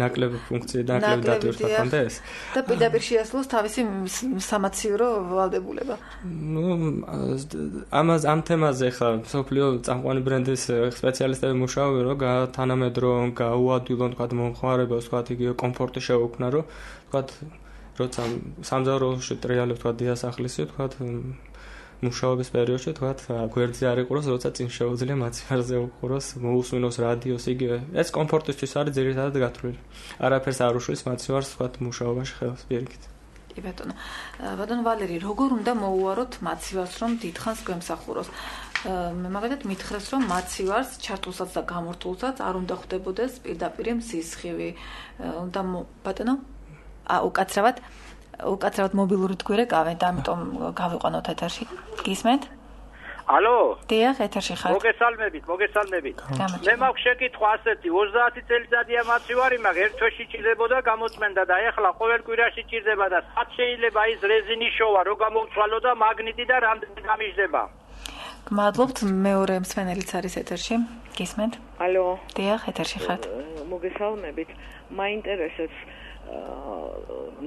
ნაკლები ფუნქცია და ნაკლები დატვირთვა კონდა ეს. და პირდაპირ შეასრულოს თავისი სამაცივრო ვალდებულება. ამ თემაზე ხა სოფლიო წამყვანი ბრენდის სპეციალისტები მუშაობენ, რომ თანამედროვე გაუადვილონ თქვათ მომხმარებელს, თქვათ იგივე კომფორტი შეუქმნა, რომ თქვათ როცა სამზარეულოში ტრიალებ თქვათ დიასახლისი, თქვათ მუშაობის პერიოდში თქვათ გვერდზე არ იყუროს, როცა წინ შეუძლია მაცივარზე უყუროს, მოусმინოს რადიოს, იგივე. ეს კომფორტისთვის არის ძირითადად გათვლილი. არაფერს არ უშლის მაცივარს თქვათ მუშაობაში ხელს პირიქით. კი ბატონო. ბატონო ვალერი, როგორ უნდა მოუაროთ მაცივარს, რომ დიდხანს გვემსახუროს? მე მაგალითად მითხრეს რომ მაცივარს ჩართულსაც და გამორთულსაც არ უნდა ხვდებოდეს პირდაპირ სისხლი. უნდა ბატონო უკაცრავად მობილური თქვი გავენ და ამიტომ გავიყვანოთ ეთერში. გისმენთ? ალო? დიახ, ეთერში ხარ. მოგესალმებით. მე მაქვს შეკითხვა ასეთი, 30 წელიწადია მაცივარი, მაგრამ ერთ თვეში ჭირდებოდა გამოწმენდა და ეხლა ყოველ კვირაში ჭირდება და სად შეიძლება ის რეზინის შოვა რო გამოვცვალო და მაგნიტი და რამდენი გამიჟდება? გმადლობთ, მეორე მსმენელიც არის ეთერში. გისმენთ? ალო? დიახ, ეთერში ხართ. მოგესალმებით. მაინტერესებს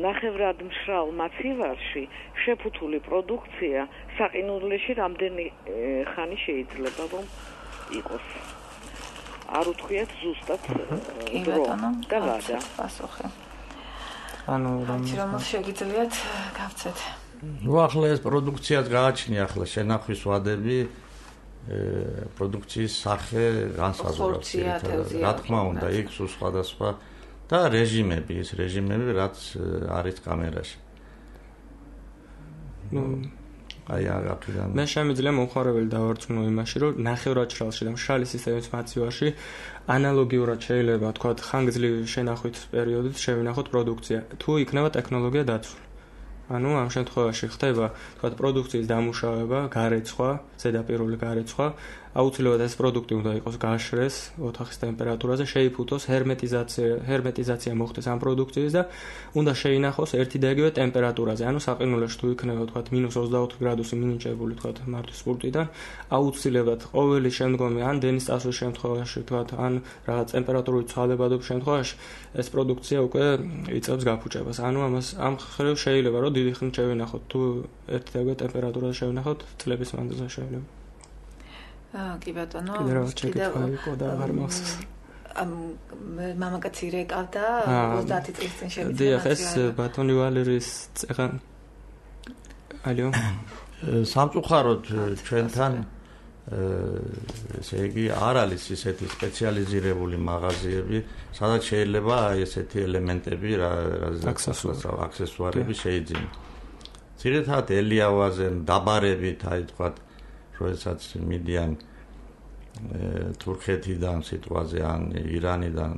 ნახევრად მშრალ მაცივარში შეფუთული პროდუქცია საყინულეში რამდენი ხანი შეიძლება რომ იყოს? არ უთქვიათ ზუსტად დრო და ვადა პასუხი. ანუ რომ შეგიძლიათ გავცეთ. ახლა ეს პროდუქციაც გააჩნია, ახლა შენახვის ვადები პროდუქციის სახე განსაზღვრავს. რა თქმა უნდა, იქ სულ სხვადასხვა და რეჟიმები, რაც არის კამერაში. მე შემიძლია მომხმარებელი დავარწმუნო იმაში, რომ ნახევრადშრალში და მშრალი სისტემის მაცივარში ანალოგიურად შეიძლება თქვა ხანგრძლივი შენახვის პერიოდით შევინახოთ პროდუქცია, თუ იქნება ტექნოლოგია დაცული. ანუ ამ შემთხვევაში ხდება თქვა პროდუქციის დამუშავება, გარეცხვა, ზედაპირული გარეცხვა, აუცილებლად ეს პროდუქტი უნდა იყოს გაშრეს ოთახის ტემპერატურაზე, შეიფუთოს ჰერმეტიზაცია მოხდეს ამ პროდუქციის და უნდა შეინახოს ერთი და იგივე ტემპერატურაზე. ანუ საყინულეში თუ იქნება თქვა -24 გრადუსი მინიჭებული თქვა მართვის პულტიდან, აუცილებლად ყოველი შემდგომი ან დენის წასვლის შემთხვევაში თქვა ან რაღაც ტემპერატურული ცვალებადობის შემთხვევაში ეს პროდუქცია უკვე იწევს გაფუჭებას. ანუ ამ ხრივ შეიძლება რომ დიდი ხნით შევინახოთ, თუ ერთი და იგივე ტემპერატურაზე შევინახოთ წლების მანძილზე შეიძლება. კი ბატონო, კიდევ იყო და აღარ მახსოვს. მამაკაცი რეკავდა 30 წლის წინ შევიდა. დიახ, ეს ბატონი ვალერის წეღან. ალო. სამწუხაროდ ჩვენთან ესე იგი არ არის ისეთი სპეციალიზირებული მაღაზიები, სადაც შეიძლება ესეთი ელემენტები, აქსესუარები შეიძინო. ძირითადად ელიავაზე დაბარებით, აი თქვა როდესაც მიდიან თურქეთიდან სიტყვაზე ან ირანიდან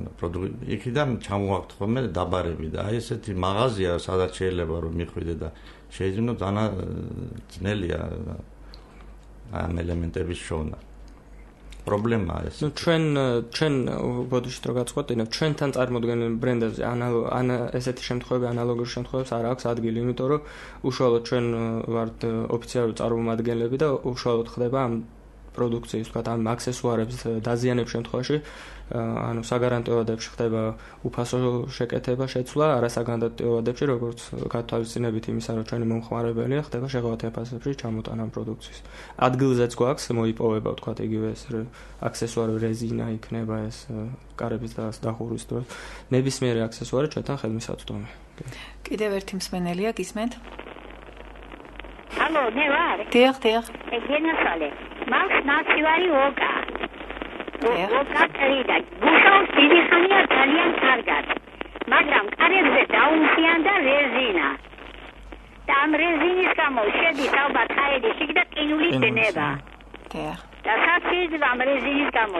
იქიდან ჩამოაქვთ ხოლმე დაბარები და აი ესეთი მაღაზია სადაც შეიძლება რომ მიხვიდე და შეიძლება ძალიან ძნელია ამ ელემენტების შოვნა. პრობლემაა ეს. ჩვენ ბოდიშით რო გაწყვეტინებთ, ჩვენთან წარმოდგენილ ბრენდებზე ან ესეთი შემთხვევები ანალოგური შემთხვევებს არ აქვს ადგილი, იმიტომ რომ უშუალოდ ჩვენ ვართ ოფიციალური წარმომადგენლები და უშუალოდ ხდება ამ პროდუქციის, თქვა ამ აქსესუარების დაზიანების შემთხვევაში, ანუ საგარანტიო ვადებში ხდება უფასო შეკეთება, შეცვლა, არასაგარანტიო ვადებში, როგორც გათვალისწინებით იმისა, რომ ჩვენი მომხმარებელია, ხდება შეღავათი ფასებში ჩამოტანა პროდუქციის. ადგილზეც გვაქვს მოიპოვება, თქვა იგივე ეს აქსესუარი რეზინა იქნება ეს კარების დახურვის დროს. ნებისმიერი აქსესუარი ჩვენთან ხელმისაწვდომია. კიდევ ერთი მსმენელია, გისმენთ? ალო, მე ვარ. დიახ. გენასალე. მაქვს მაცივარი ოკა. ოკა ტრიდა. გუშაობს დიდი ხანია ძალიან კარგად. მაგრამ კარებზე დაუმსიანდა რეზინა. და ამ რეზინის გამო შედის ალბათ აირი შიგ და ყინულის დნება. დიახ. და სად შეიძლება ამ რეზინის გამო?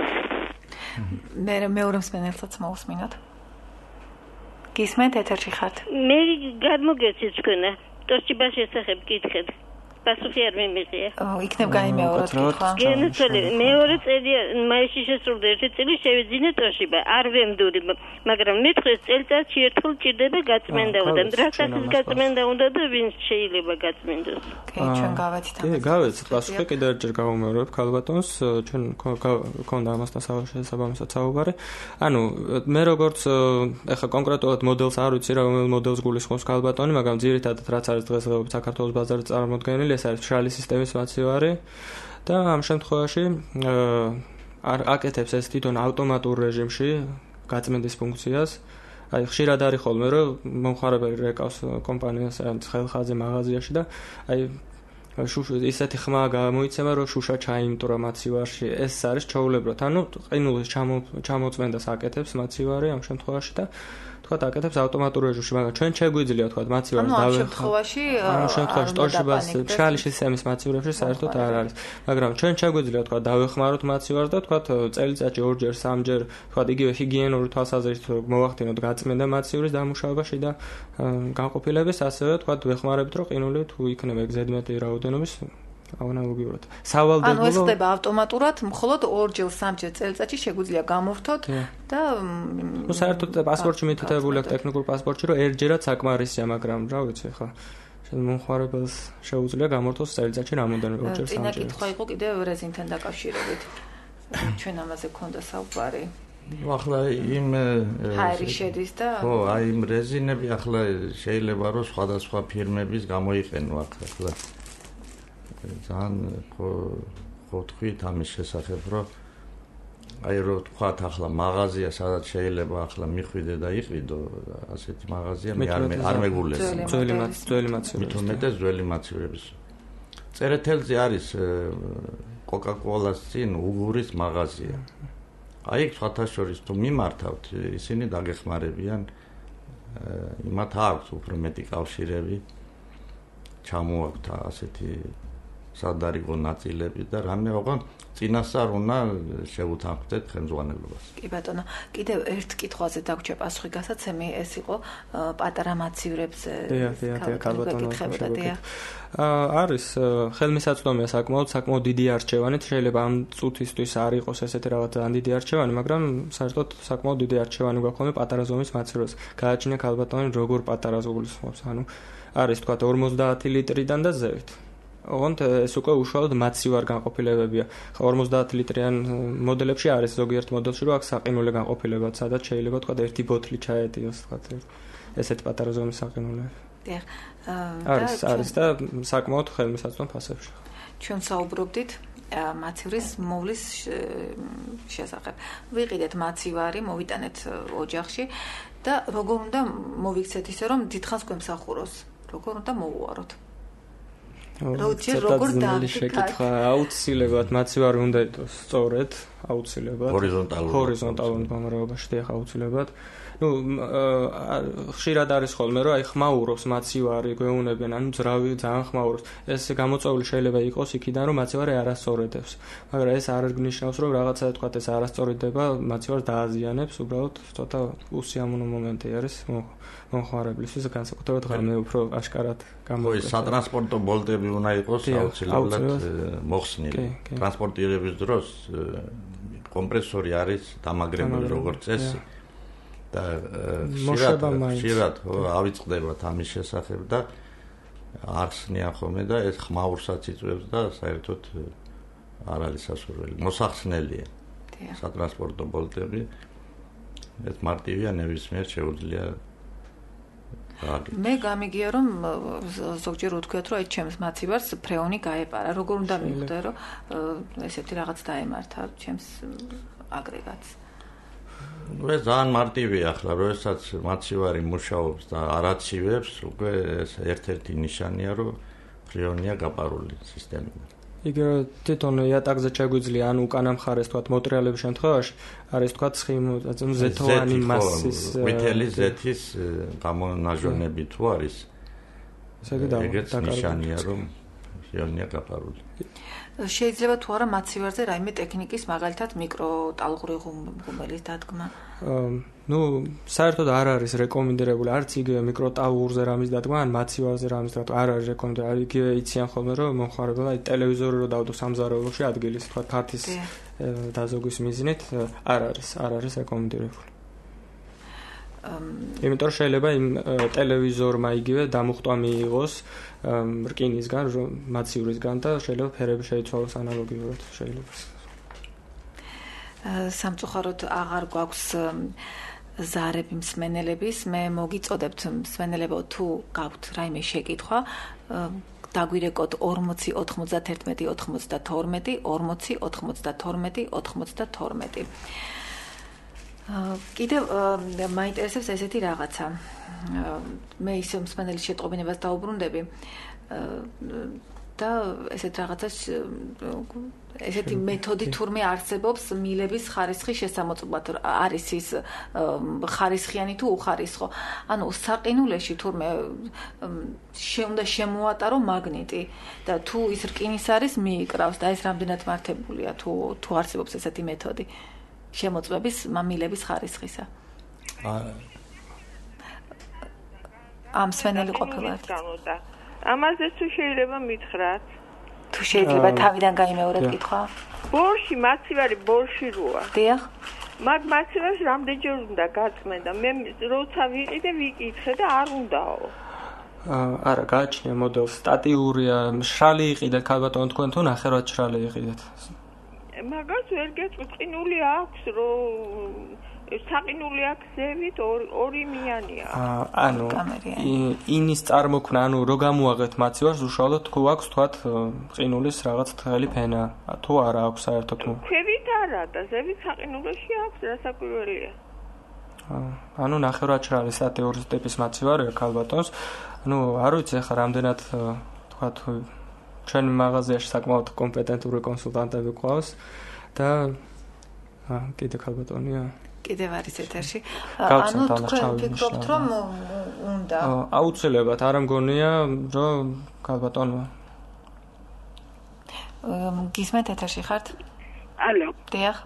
მე მეორე მსმენელსაც მოვსმინოთ. გისმენთ, ეთერში ხართ? მე გადმოგეცით თქვენა. ტოსტიბას შესახებ გითხეთ. პასუხი არ მიმიღია. იქნებ გაიმეოროთ კითხვა. გენაცვალე, მეორე წელია მაისში შესრულდა ერთი წელი შევიძინე ტოშიბა. არ ვემდური, მაგრამ მეთქეს წელიწადში ერთხელ ჭირდება გაწმენდა და დრასახის გაწმენდა უნდა და ვინ შეიძლება გაწმენდოს. კი, ჩვენ გავაცით ამას. კი, გავაცით. პასუხი კიდევ ერთხელ გავუმეორებ ქალბატონს, ჩვენ გქონდა ამასთან შესაბამისად საუბარი. ანუ მე როგორც ეხა კონკრეტულად მოდელს არ ვიცი, რომელ მოდელს გულისხმობს ქალბატონი, მაგრამ ძირითადად რაც არის დღესდღეობით საქართველოს ბაზარზე წარმოდგენილი, ეს არის მშრალი სისტემის მაცივარი და ამ შემთხვევაში აკეთებს ეს თვითონ ავტომატურ რეჟიმში გაწმენდის ფუნქციას. აი ხშირად არის ხოლმე რომ მომხმარებელი რეკავს კომპანიას ან ხელხაზი მაღაზიაში და აი ისეთი ხმა გამოიცემა რომ შუშა ჩაიმტვრა მაცივარში. ეს არის ჩაულებრად. ანუ ყინულის ჩამოწმენდას აკეთებს მაცივარი ამ შემთხვევაში და თქვა აკეთებს ავტომატურ რეჟიმში, მაგრამ ჩვენ შეგვიძლია თქვა მაცივარს ამ შემთხვევაში ტოშიბას მშრალი სისტემის მაცივრებში საერთოდ არ არის, მაგრამ ჩვენ შეგვიძლია თქვა დავეხმაროთ მაცივარს და თქვა წელიწადში 2-ჯერ 3-ჯერ თქვა იგივე ჰიგიენური თვალსაზრისით მოვახდინოთ გაწმენდა მაცივრის დამუშავებაში და განყოფილების, ასევე თქვა ვეხმარებთ რომ ყინული თუ იქნება ზედმეტი რაოდენობის აუნალოგიურად. ანუ ეს ხდება ავტომატურად, მხოლოდ 2-ჯერ 3-ჯერ წელიწადში შეგვიძლია გამორთოთ და საერთოდ პასპორტში მითითებული აქვს ტექნიკურ პასპორტში რომ ერთჯერად საკმარისია, მაგრამ რა ვიცი ხა მომხმარებელს შეუძლია გამორთოს წელიწადში რამოდენიმე 2-ჯერ 3-ჯერ. წინა კითხვა იყო კიდევ რეზინთან დაკავშირებით. ჩვენ ამაზე გქონდა საუბარი. ახლა იმ ჰაერი შედის და ხო, აი იმ რეზინები ახლა შეიძლება რომ სხვადასხვა ფირმების გამოიყენო ახლა. ძალიან ხო თქვით ამის შესახებ, რომ აი რომ თქვათ ახლა მაღაზია, სადაც შეიძლება ახლა მიხვიდე და იყიდო, ასეთი მაღაზია მე არ მეგულეს. ძველი მაცივრის. მithumetes ძველი მაცივრების. წერეთელზე არის კოკა-კოლას წინ უგურის მაღაზია. აი იქ სხვათაშორის თუ მიმართავთ, ისინი დაგეხმარებიან, იმათ აქვს უფრო მეტი კავშირები, ჩამოაქვთ ასეთი სადარიგო ნაწილები და რამე ოღონდ წინასწარ უნდა შევუთანხმდეთ ხელმძღვანელობას. კი ბატონო, კიდევ ერთ კითხვაზე დაგვრჩა პასუხი გასაცემი, ეს იყო პატარა მაცივრებზე. არის ხელმისაწვდომია საკმაოდ დიდი არჩევანით, შეიძლება ამ წუთისთვის არ იყოს ესეთი რაღაც ძალიან დიდი არჩევანი, მაგრამ საერთოდ საკმაოდ დიდი არჩევანი გვაქვს პატარა ზომის მაცევრებს. გააჩნია ქალბატონი როგორ პატარა ზოგულისხმობს, ანუ არის თქვა 50 ლიტრიდან და ზევით. ოღონდ ეს უკვე უშუალოდ მაცივარ განყოფილებებია. 50 ლიტრიან მოდელებში არის ზოგიერთ მოდელში რომ აქვს საყინულე განყოფილება, სადაც შეიძლება თქვა ერთი ბოთლი ჩაეტიოს, თქვა ესეთ პატარა ზომის საყინულე. არის და საკმაოდ ხელმისაწვდომ ფასებში. ჩვენ საუბრობდით მაცივრის მოვლის შესახებ. ვიყიდეთ მაცივარი, მოვიტანეთ ოჯახში და როგორ უნდა მოვიქცეთ ისე რომ დიდხანს გვემსახუროს, როგორ უნდა მოუვაროთ. როგორ შეკითხა აუცილებლად მაცივარი უნდა იყოს სწორედ, აუცილებლად ჰორიზონტალურ გამრავლობაში და აუცილებლად. ხშირად არის ხოლმე რომ აი ხმაურობს მაცივარი, გვეუნებიან, ანუ ძრავი ძალიან ხმაურობს. ეს გამოწვეული შეიძლება იყოს იქიდან რომ მაცივარი არასწორედებს. მაგრამ ეს არ გნიშნავს რომ რაღაცა თქვა ეს არასწორედება მაცივარს დააზიანებს, უბრალოდ ცოტა უსიამოვნო მომენტი არის მომხმარებლისთვის, განსაკუთრებით ღამე უფრო აშკარად გამოიყენებს. სატრანსპორტო ბოლტები უნდა იყოს აუცილებლად მოხსნილი. ტრანსპორტირების დროს კომპრესორი არის დამაგრებული როგორც წესი. და ხშირად ავიწყდებათ ამის შესახებ და ახსნიან ხოლმე და ეს ხმაურსაც იწვევს და საერთოდ არ არის სასურველი. მოსახსნელია სატრანსპორტო ბოლტები. ეს მარტივია, ნებისმიერ შეუძლია. მე გამიგია რომ ზოგჯერ უთქვიათ რომ აი ჩემს მაცივარს ფრეონი გაეპარა. როგორ უნდა მიხვდე რომ ესეთი რაღაც დაემართა ჩემს აგრეგატს. ეს ძალიან მარტივია ახლა, როდესაც მაცივარი მუშაობს და არ აცივებს, უკვე ეს ერთ-ერთი ნიშანია, რომ ფრეონია გაპარული სისტემიდან. იგი თვითონ იატაკზე შეგვიძლია, ანუ უკანა მხარეს თქვა მოტრიალების შემთხვევაში არის თქვა ზეთოვანი მასის მეთელი ზეთის გამონაჟონები თუ არის. ეგეც ნიშანია, რომ ფრეონია გაპარული. შეიძლება თუ არა მაცივარზე რაიმე ტექნიკის, მაგალითად მიკროტალღური ღუმელის დადგმა? საერთოდ არ არის რეკომენდირებული არც იგივე მიკროტალღურზე რამის დადგმა, ან მაცივარზე რამის დადგმა არ არის რეკომენდირებული. იგივე იციან ხოლმე რომ მომხმარებელმა ტელევიზორი რო დავდო სამზარეულოში ადგილის, თქვა ფართის დაზოგვის მიზნით არ არის რეკომენდირებული. იმიტომ შეიძლება იმ ტელევიზორმა იგივე დამუხტვა მიიღოს რკინისგან, მაცივრისგან და შეიძლება ფერები შეიცვალოს ანალოგიურად შეიძლება. სამწუხაროდ აღარ გვაქვს ზარები მსმენელების, მე მოგიწოდებთ მსმენელებო თუ გაქვთ რაიმე შეკითხვა, დაგვირეკოთ 40 91 92 40 92 92. კიდევ მაინტერესებს ესეთი რაღაცა. მე ისე მსმენელის შეტყობინებას დაუბრუნდები. და ესეთ რაღაცას ესეთი მეთოდი თურმე არსებობს მილების ხარისხის შესამოწმებლად არის ის ხარისხიანი თუ უხარისხო. ანუ საყინულეში თურმე უნდა შემოატარო მაგნიტი და თუ ის რკინის არის მიიკრავს და ეს რამდენად მართებულია თუ არსებობს ესეთი მეთოდი შემოწმების მილების ხარისხისა. ამ სვენელი ყოფილად. ამაზე თუ შეიძლება მითხრათ? თუ შეიძლება თავიდან გაიმეორეთ კითხვა? ბორში მაცივარი ბორში როა. დიახ. მაგ მაცივარს რამდენჯერ უნდა გაწმენდა? მე როცა ვიყიდე ვიკითხე და არ უნდაო. არა, გააჩნია მოდელს სტატიურია, მშრალი იყიდეთ ქალბატონო თქვენ თუ ნახევრად მშრალი იყიდეთ? მაგას ვერ გეწყინული აქვს რომ საყინული აქცევით ორი მიანია. ანუ ინის წარმოქმნა, ანუ რო გამოაღეთ მაცივარს, უშუალოდ თუ აქვს თქვათ ყინულის რაღაც თხელი ფენა, თუ არა აქვს საერთოდ? ქვევით არა და ზევით საყინულში აქვს, რასაკვირველია. ანუ ნახევრად მშრალი სტატიური ტიპის მაცივარია ქალბატონს. ანუ არ ვიცი ახლა რამდენად თქვათ ჩვენ მაღაზიაში საკმაოდ კომპეტენტური კონსულტანტები გვყავს და კიდე ქალბატონია კიდევ არის ეთერში. ანუ თქვენ ფიქრობთ რომ უნდა აუცილებლად არ მგონია რომ ქალბატონო გისმენთ ეთერში ხართ? ალო. დიახ.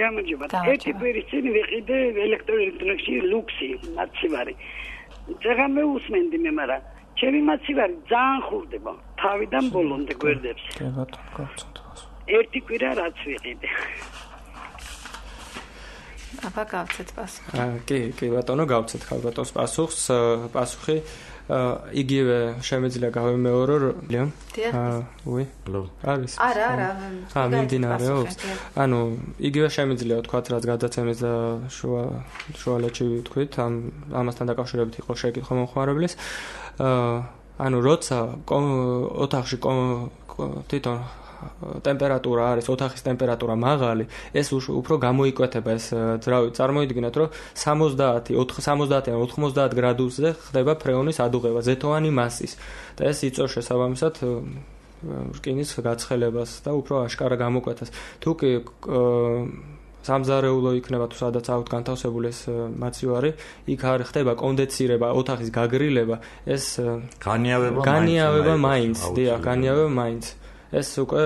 გამარჯობა. ერთი კვირის წინ ვიყიდე ელექტროელექტრონიკში ლუქსი მაცივარი. ძაღა მეუსმენდი მე, მაგრამ ჩემი მაცივარი ძალიან ხურდება. თავიდან ბოლომდე გვერდებს. კი ბატონო, გავწოდოს. ერთი კვირა რაც ვიყიდე. აბა გავცეთ პასუხი. კი ბატონო, გავცეთ ქალბატონს პასუხს. პასუხი იგივე შემიძლია გავიმეორო რომ უი არის არა მიმდინარეობს ანუ იგივე შემიძლია ვთქვათ რაც გადაცემის და შუალედში ვთქვით ამასთან დაკავშირებით იყო შეკითხვა მომხმარებლის ანუ როცა ოთახში თვითონ ტემპერატურა არის ოთახის ტემპერატურა მაღალი ეს უფრო გამოიკვეთება ეს წარმოიდგინეთ რომ 70-ან 90 გრადუსზე ხდება ფრეონის ადუღება ზეთოვანი მასის და ეს იწვევს შესაბამისად რკინის გაცხელებას და უფრო აშკარა გამოკვეთას თუ კი სამზარეულო იქნება თუ სადაც აქვთ განთავსებული ეს მაცივარი იქ არ ხდება კონდენსირება ოთახის გაგრილება ეს განიავება მაინც დიახ განიავება მაინც ეს უკვე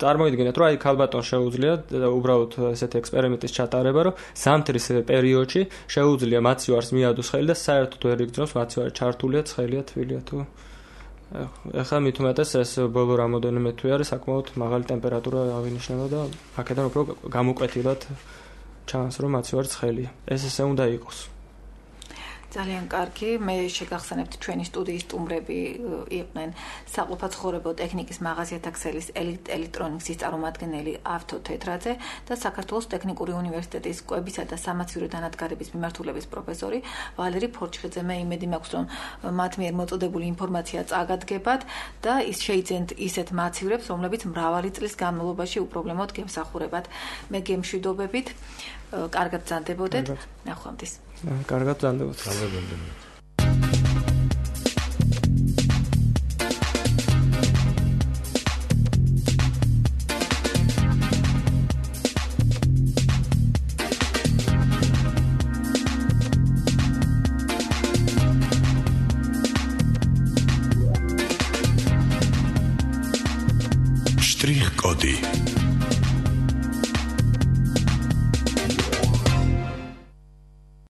წარმოიდგინეთ რომ აი ქალბატონს შეუძლია უბრალოდ ესეთი ექსპერიმენტის ჩატარება რომ ზამთრის პერიოდში შეუძლია მაცივარს მიადოს ხელი და საერთოდ ვერ იგრძნობს მაცივარი ჩართულია ცხელია თბილია თუ ეხლა მით უმეტეს ეს ბოლო რამოდენიმე თვე არის საკმაოდ მაღალი ტემპერატურა ავინიშნება და აქედან უფრო გამოკვეთილად ჩანს რომ მაცივარი ცხელია ეს ესე უნდა იყოს ძალიან კარგი მე შეგახსენებთ ჩვენი სტუდიის სტუმრები იყვნენ საყოფაცხოვრებო ტექნიკის მაღაზიათა ქსელის ელექტრონიკის წარმომადგენელი ავთო თეთრაძე და საქართველოს ტექნიკური უნივერსიტეტის კვებისა და სამაცივრო დანადგარების მიმართულების პროფესორი ვალერი ფორჩხიძე მე იმედი მაქვს რომ მათ მიერ მოწოდებული ინფორმაცია წაგადგებათ და ის შეიძენთ ისეთ მაცივრებს რომლებიც მრავალი წლის განმავლობაში უპრობლემოდ გემსახურებათ მე გემშვიდობებით კარგად ბრძანდებოდეთ ნახვამდის კარგად ბრძანდებოდეთ Штрих-коди